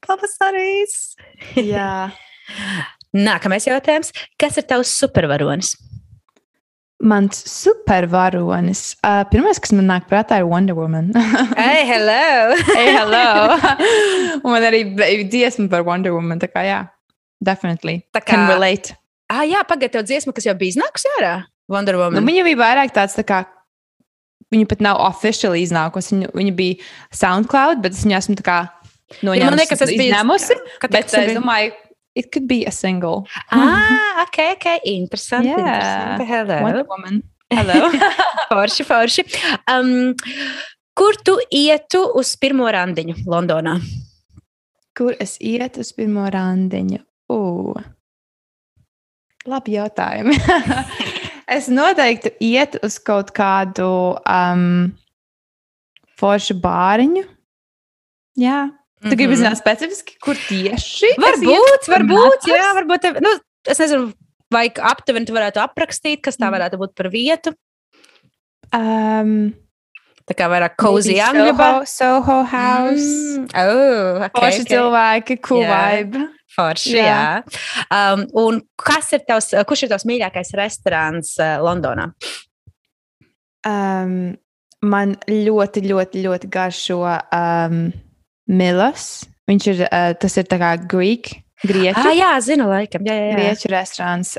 pavasarīs. Jā. Nākamais jautājums. Kas ir tavs supervaronis? Mans supervaronis. Pirmais, kas man nāk prātā, ir Wonder Woman. Hey, hello! Hey, hello! Un man arī dziesma par Wonder Woman, tā kā jā. Definitely. Tā kā... Can relate. Jā, pagaid tev dziesma, kas jau bija iznākusi ārā? Wonder Woman. Nu, viņa bija vairāk tāds tā kā, viņa pat nav officially iznākusi. Viņa bija SoundCloud, bet es viņu esmu tā kā izņēmusi. Bet es domāju, it could be a single. Okay. Interesanti. Yeah. Hello. Wonder Woman. Hello. Forši. Kur tu ietu uz pirmo randiņu Londonā? Kur es ietu uz pirmo randiņu? Labi jautājumi. Es noteikti ietu uz kaut kādu foršu bāriņu. Jā. Tu gribi zināt specifiski, kur tieši? Varbūt, jā, varbūt. Es nezinu, vai aptuveni tu varētu aprakstīt, kas tā varētu būt par vietu. Tā kā vairāk cozy angļu. Soho House. Forši cilvēki, cool vibe. Forši, jā. Un kurš ir tavs mīļākais restorāns Londonā? Man ļoti, ļoti, ļoti garšo Milos. Viņš ir, tas ir tā kā grieķu. Jā, zinu, laikam. Jā. Grieķu restorāns.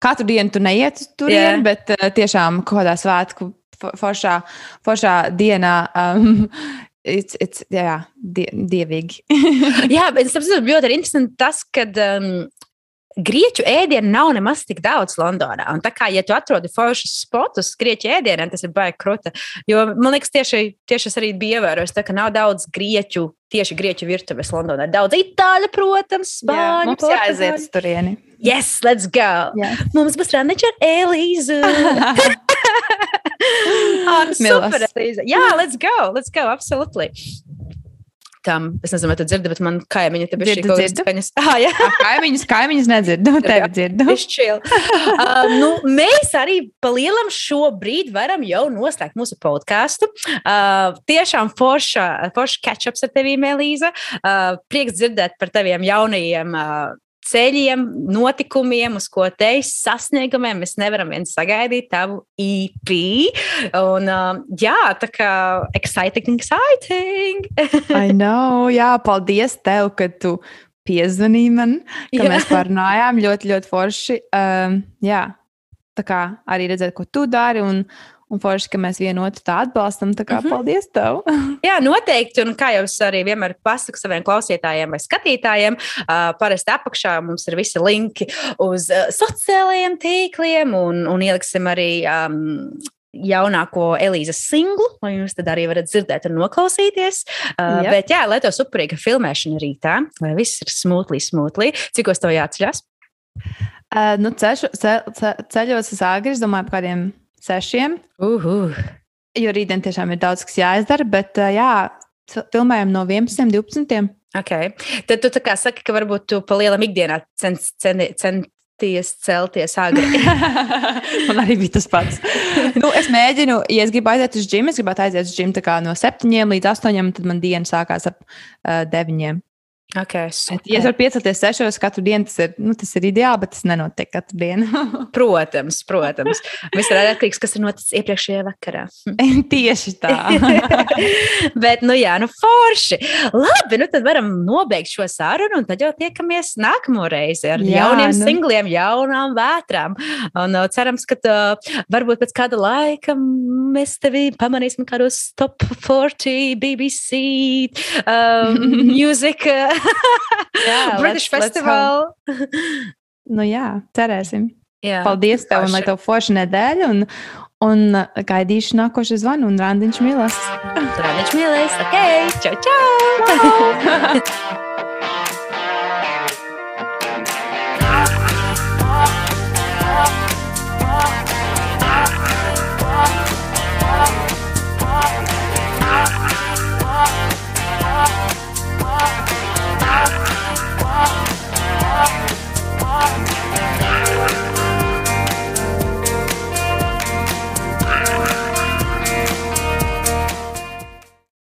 Katru dienu tu neiet turien, bet tiešām kaut kādā svētku foršā dienā dievīgi. Jā, bet es saprotu, ļoti interesanti tas, kad grieķu ēdienu nav nemaz tik daudz Londonā. Un tā kā, ja tu atrodi foršus spotus grieķu ēdieniem, tas ir baigi kruta. Jo, man liekas, tieši es arī biju ievērojis, tā ka nav daudz tieši grieķu virtuves Londonā. Daudz itāļu, protams, spāņu, mums jāaiziet uz turieni. Yes, let's go! Yes. Mums būs randiņš ar Elīzu! Super, Elīza! Jā, let's go, absolutely! Es nezinu, vai tu dzirdi, bet man kaimiņi te bišķi kaut kādas skaņas. Jā. Kaimiņus nedzirdu, tevi dzirdu. Mēs arī pa lielam šobrīd varam jau noslēgt mūsu podcastu. Tiešām forša catch-ups ar tevīm, Elīza. Prieks dzirdēt par teviem jaunajiem ceļiem, notikumiem, uz ko teis sasniegumiem. Mēs nevaram viens sagaidīt tavu EP. Un, tā kā exciting. I know, paldies tev, ka tu piezvanīji man, ka mēs parunājām ļoti, ļoti forši. Tā kā arī redzēt, ko tu dari un forši, ka mēs vienotru tā atbalstam. Tā kā paldies tev. Jā, noteikti. Un kā jau es arī vienmēr pasaku saviem klausītājiem vai skatītājiem, parasti apakšā mums ir visi linki uz sociālajiem tīkliem un ieliksim arī jaunāko Elīzas singlu, lai jūs tad arī varat dzirdēt un noklausīties. Bet lai tev superīga filmēšana rītā, lai viss ir smoothly. Cikos tev jāatceļas? Ceļos es agri, es domāju par kādiem 6. Jo rītdien tiešām ir daudz, kas jāizdara, bet filmējam no 11. 12. Okay. Tad tu tā kā saki, ka varbūt tu pa lielam ikdienā centies celties agri. Man arī bija tas pats. Es mēģinu, ja es gribu aiziet uz džimu, es gribētu aiziet uz džimu tā kā no 7 līdz 8, tad man diena sākās ap 9. Okay, ja es varu piecelties 6 katru dienu, tas ir ideāli, bet tas nenotiek katru dienu. Protams. Viss ir atkarīgs, kas ir noticis iepriekšējā vakarā. Tieši tā. Bet, forši. Labi, tad varam nobeigt šo sarunu, un tad jau tiekamies nākamo reizi ar jauniem singliem, jaunām vētrām. Un cerams, ka varbūt pēc kāda laika mēs tevi pamanīsim kādos top 40 BBC music British Festival. Cerēsim. Paldies tev, un lai tev forša nedēļa, un gaidīšu nākošu zvanu, un randiņš mīlēs. Randiņš mīlēs, ok, čau!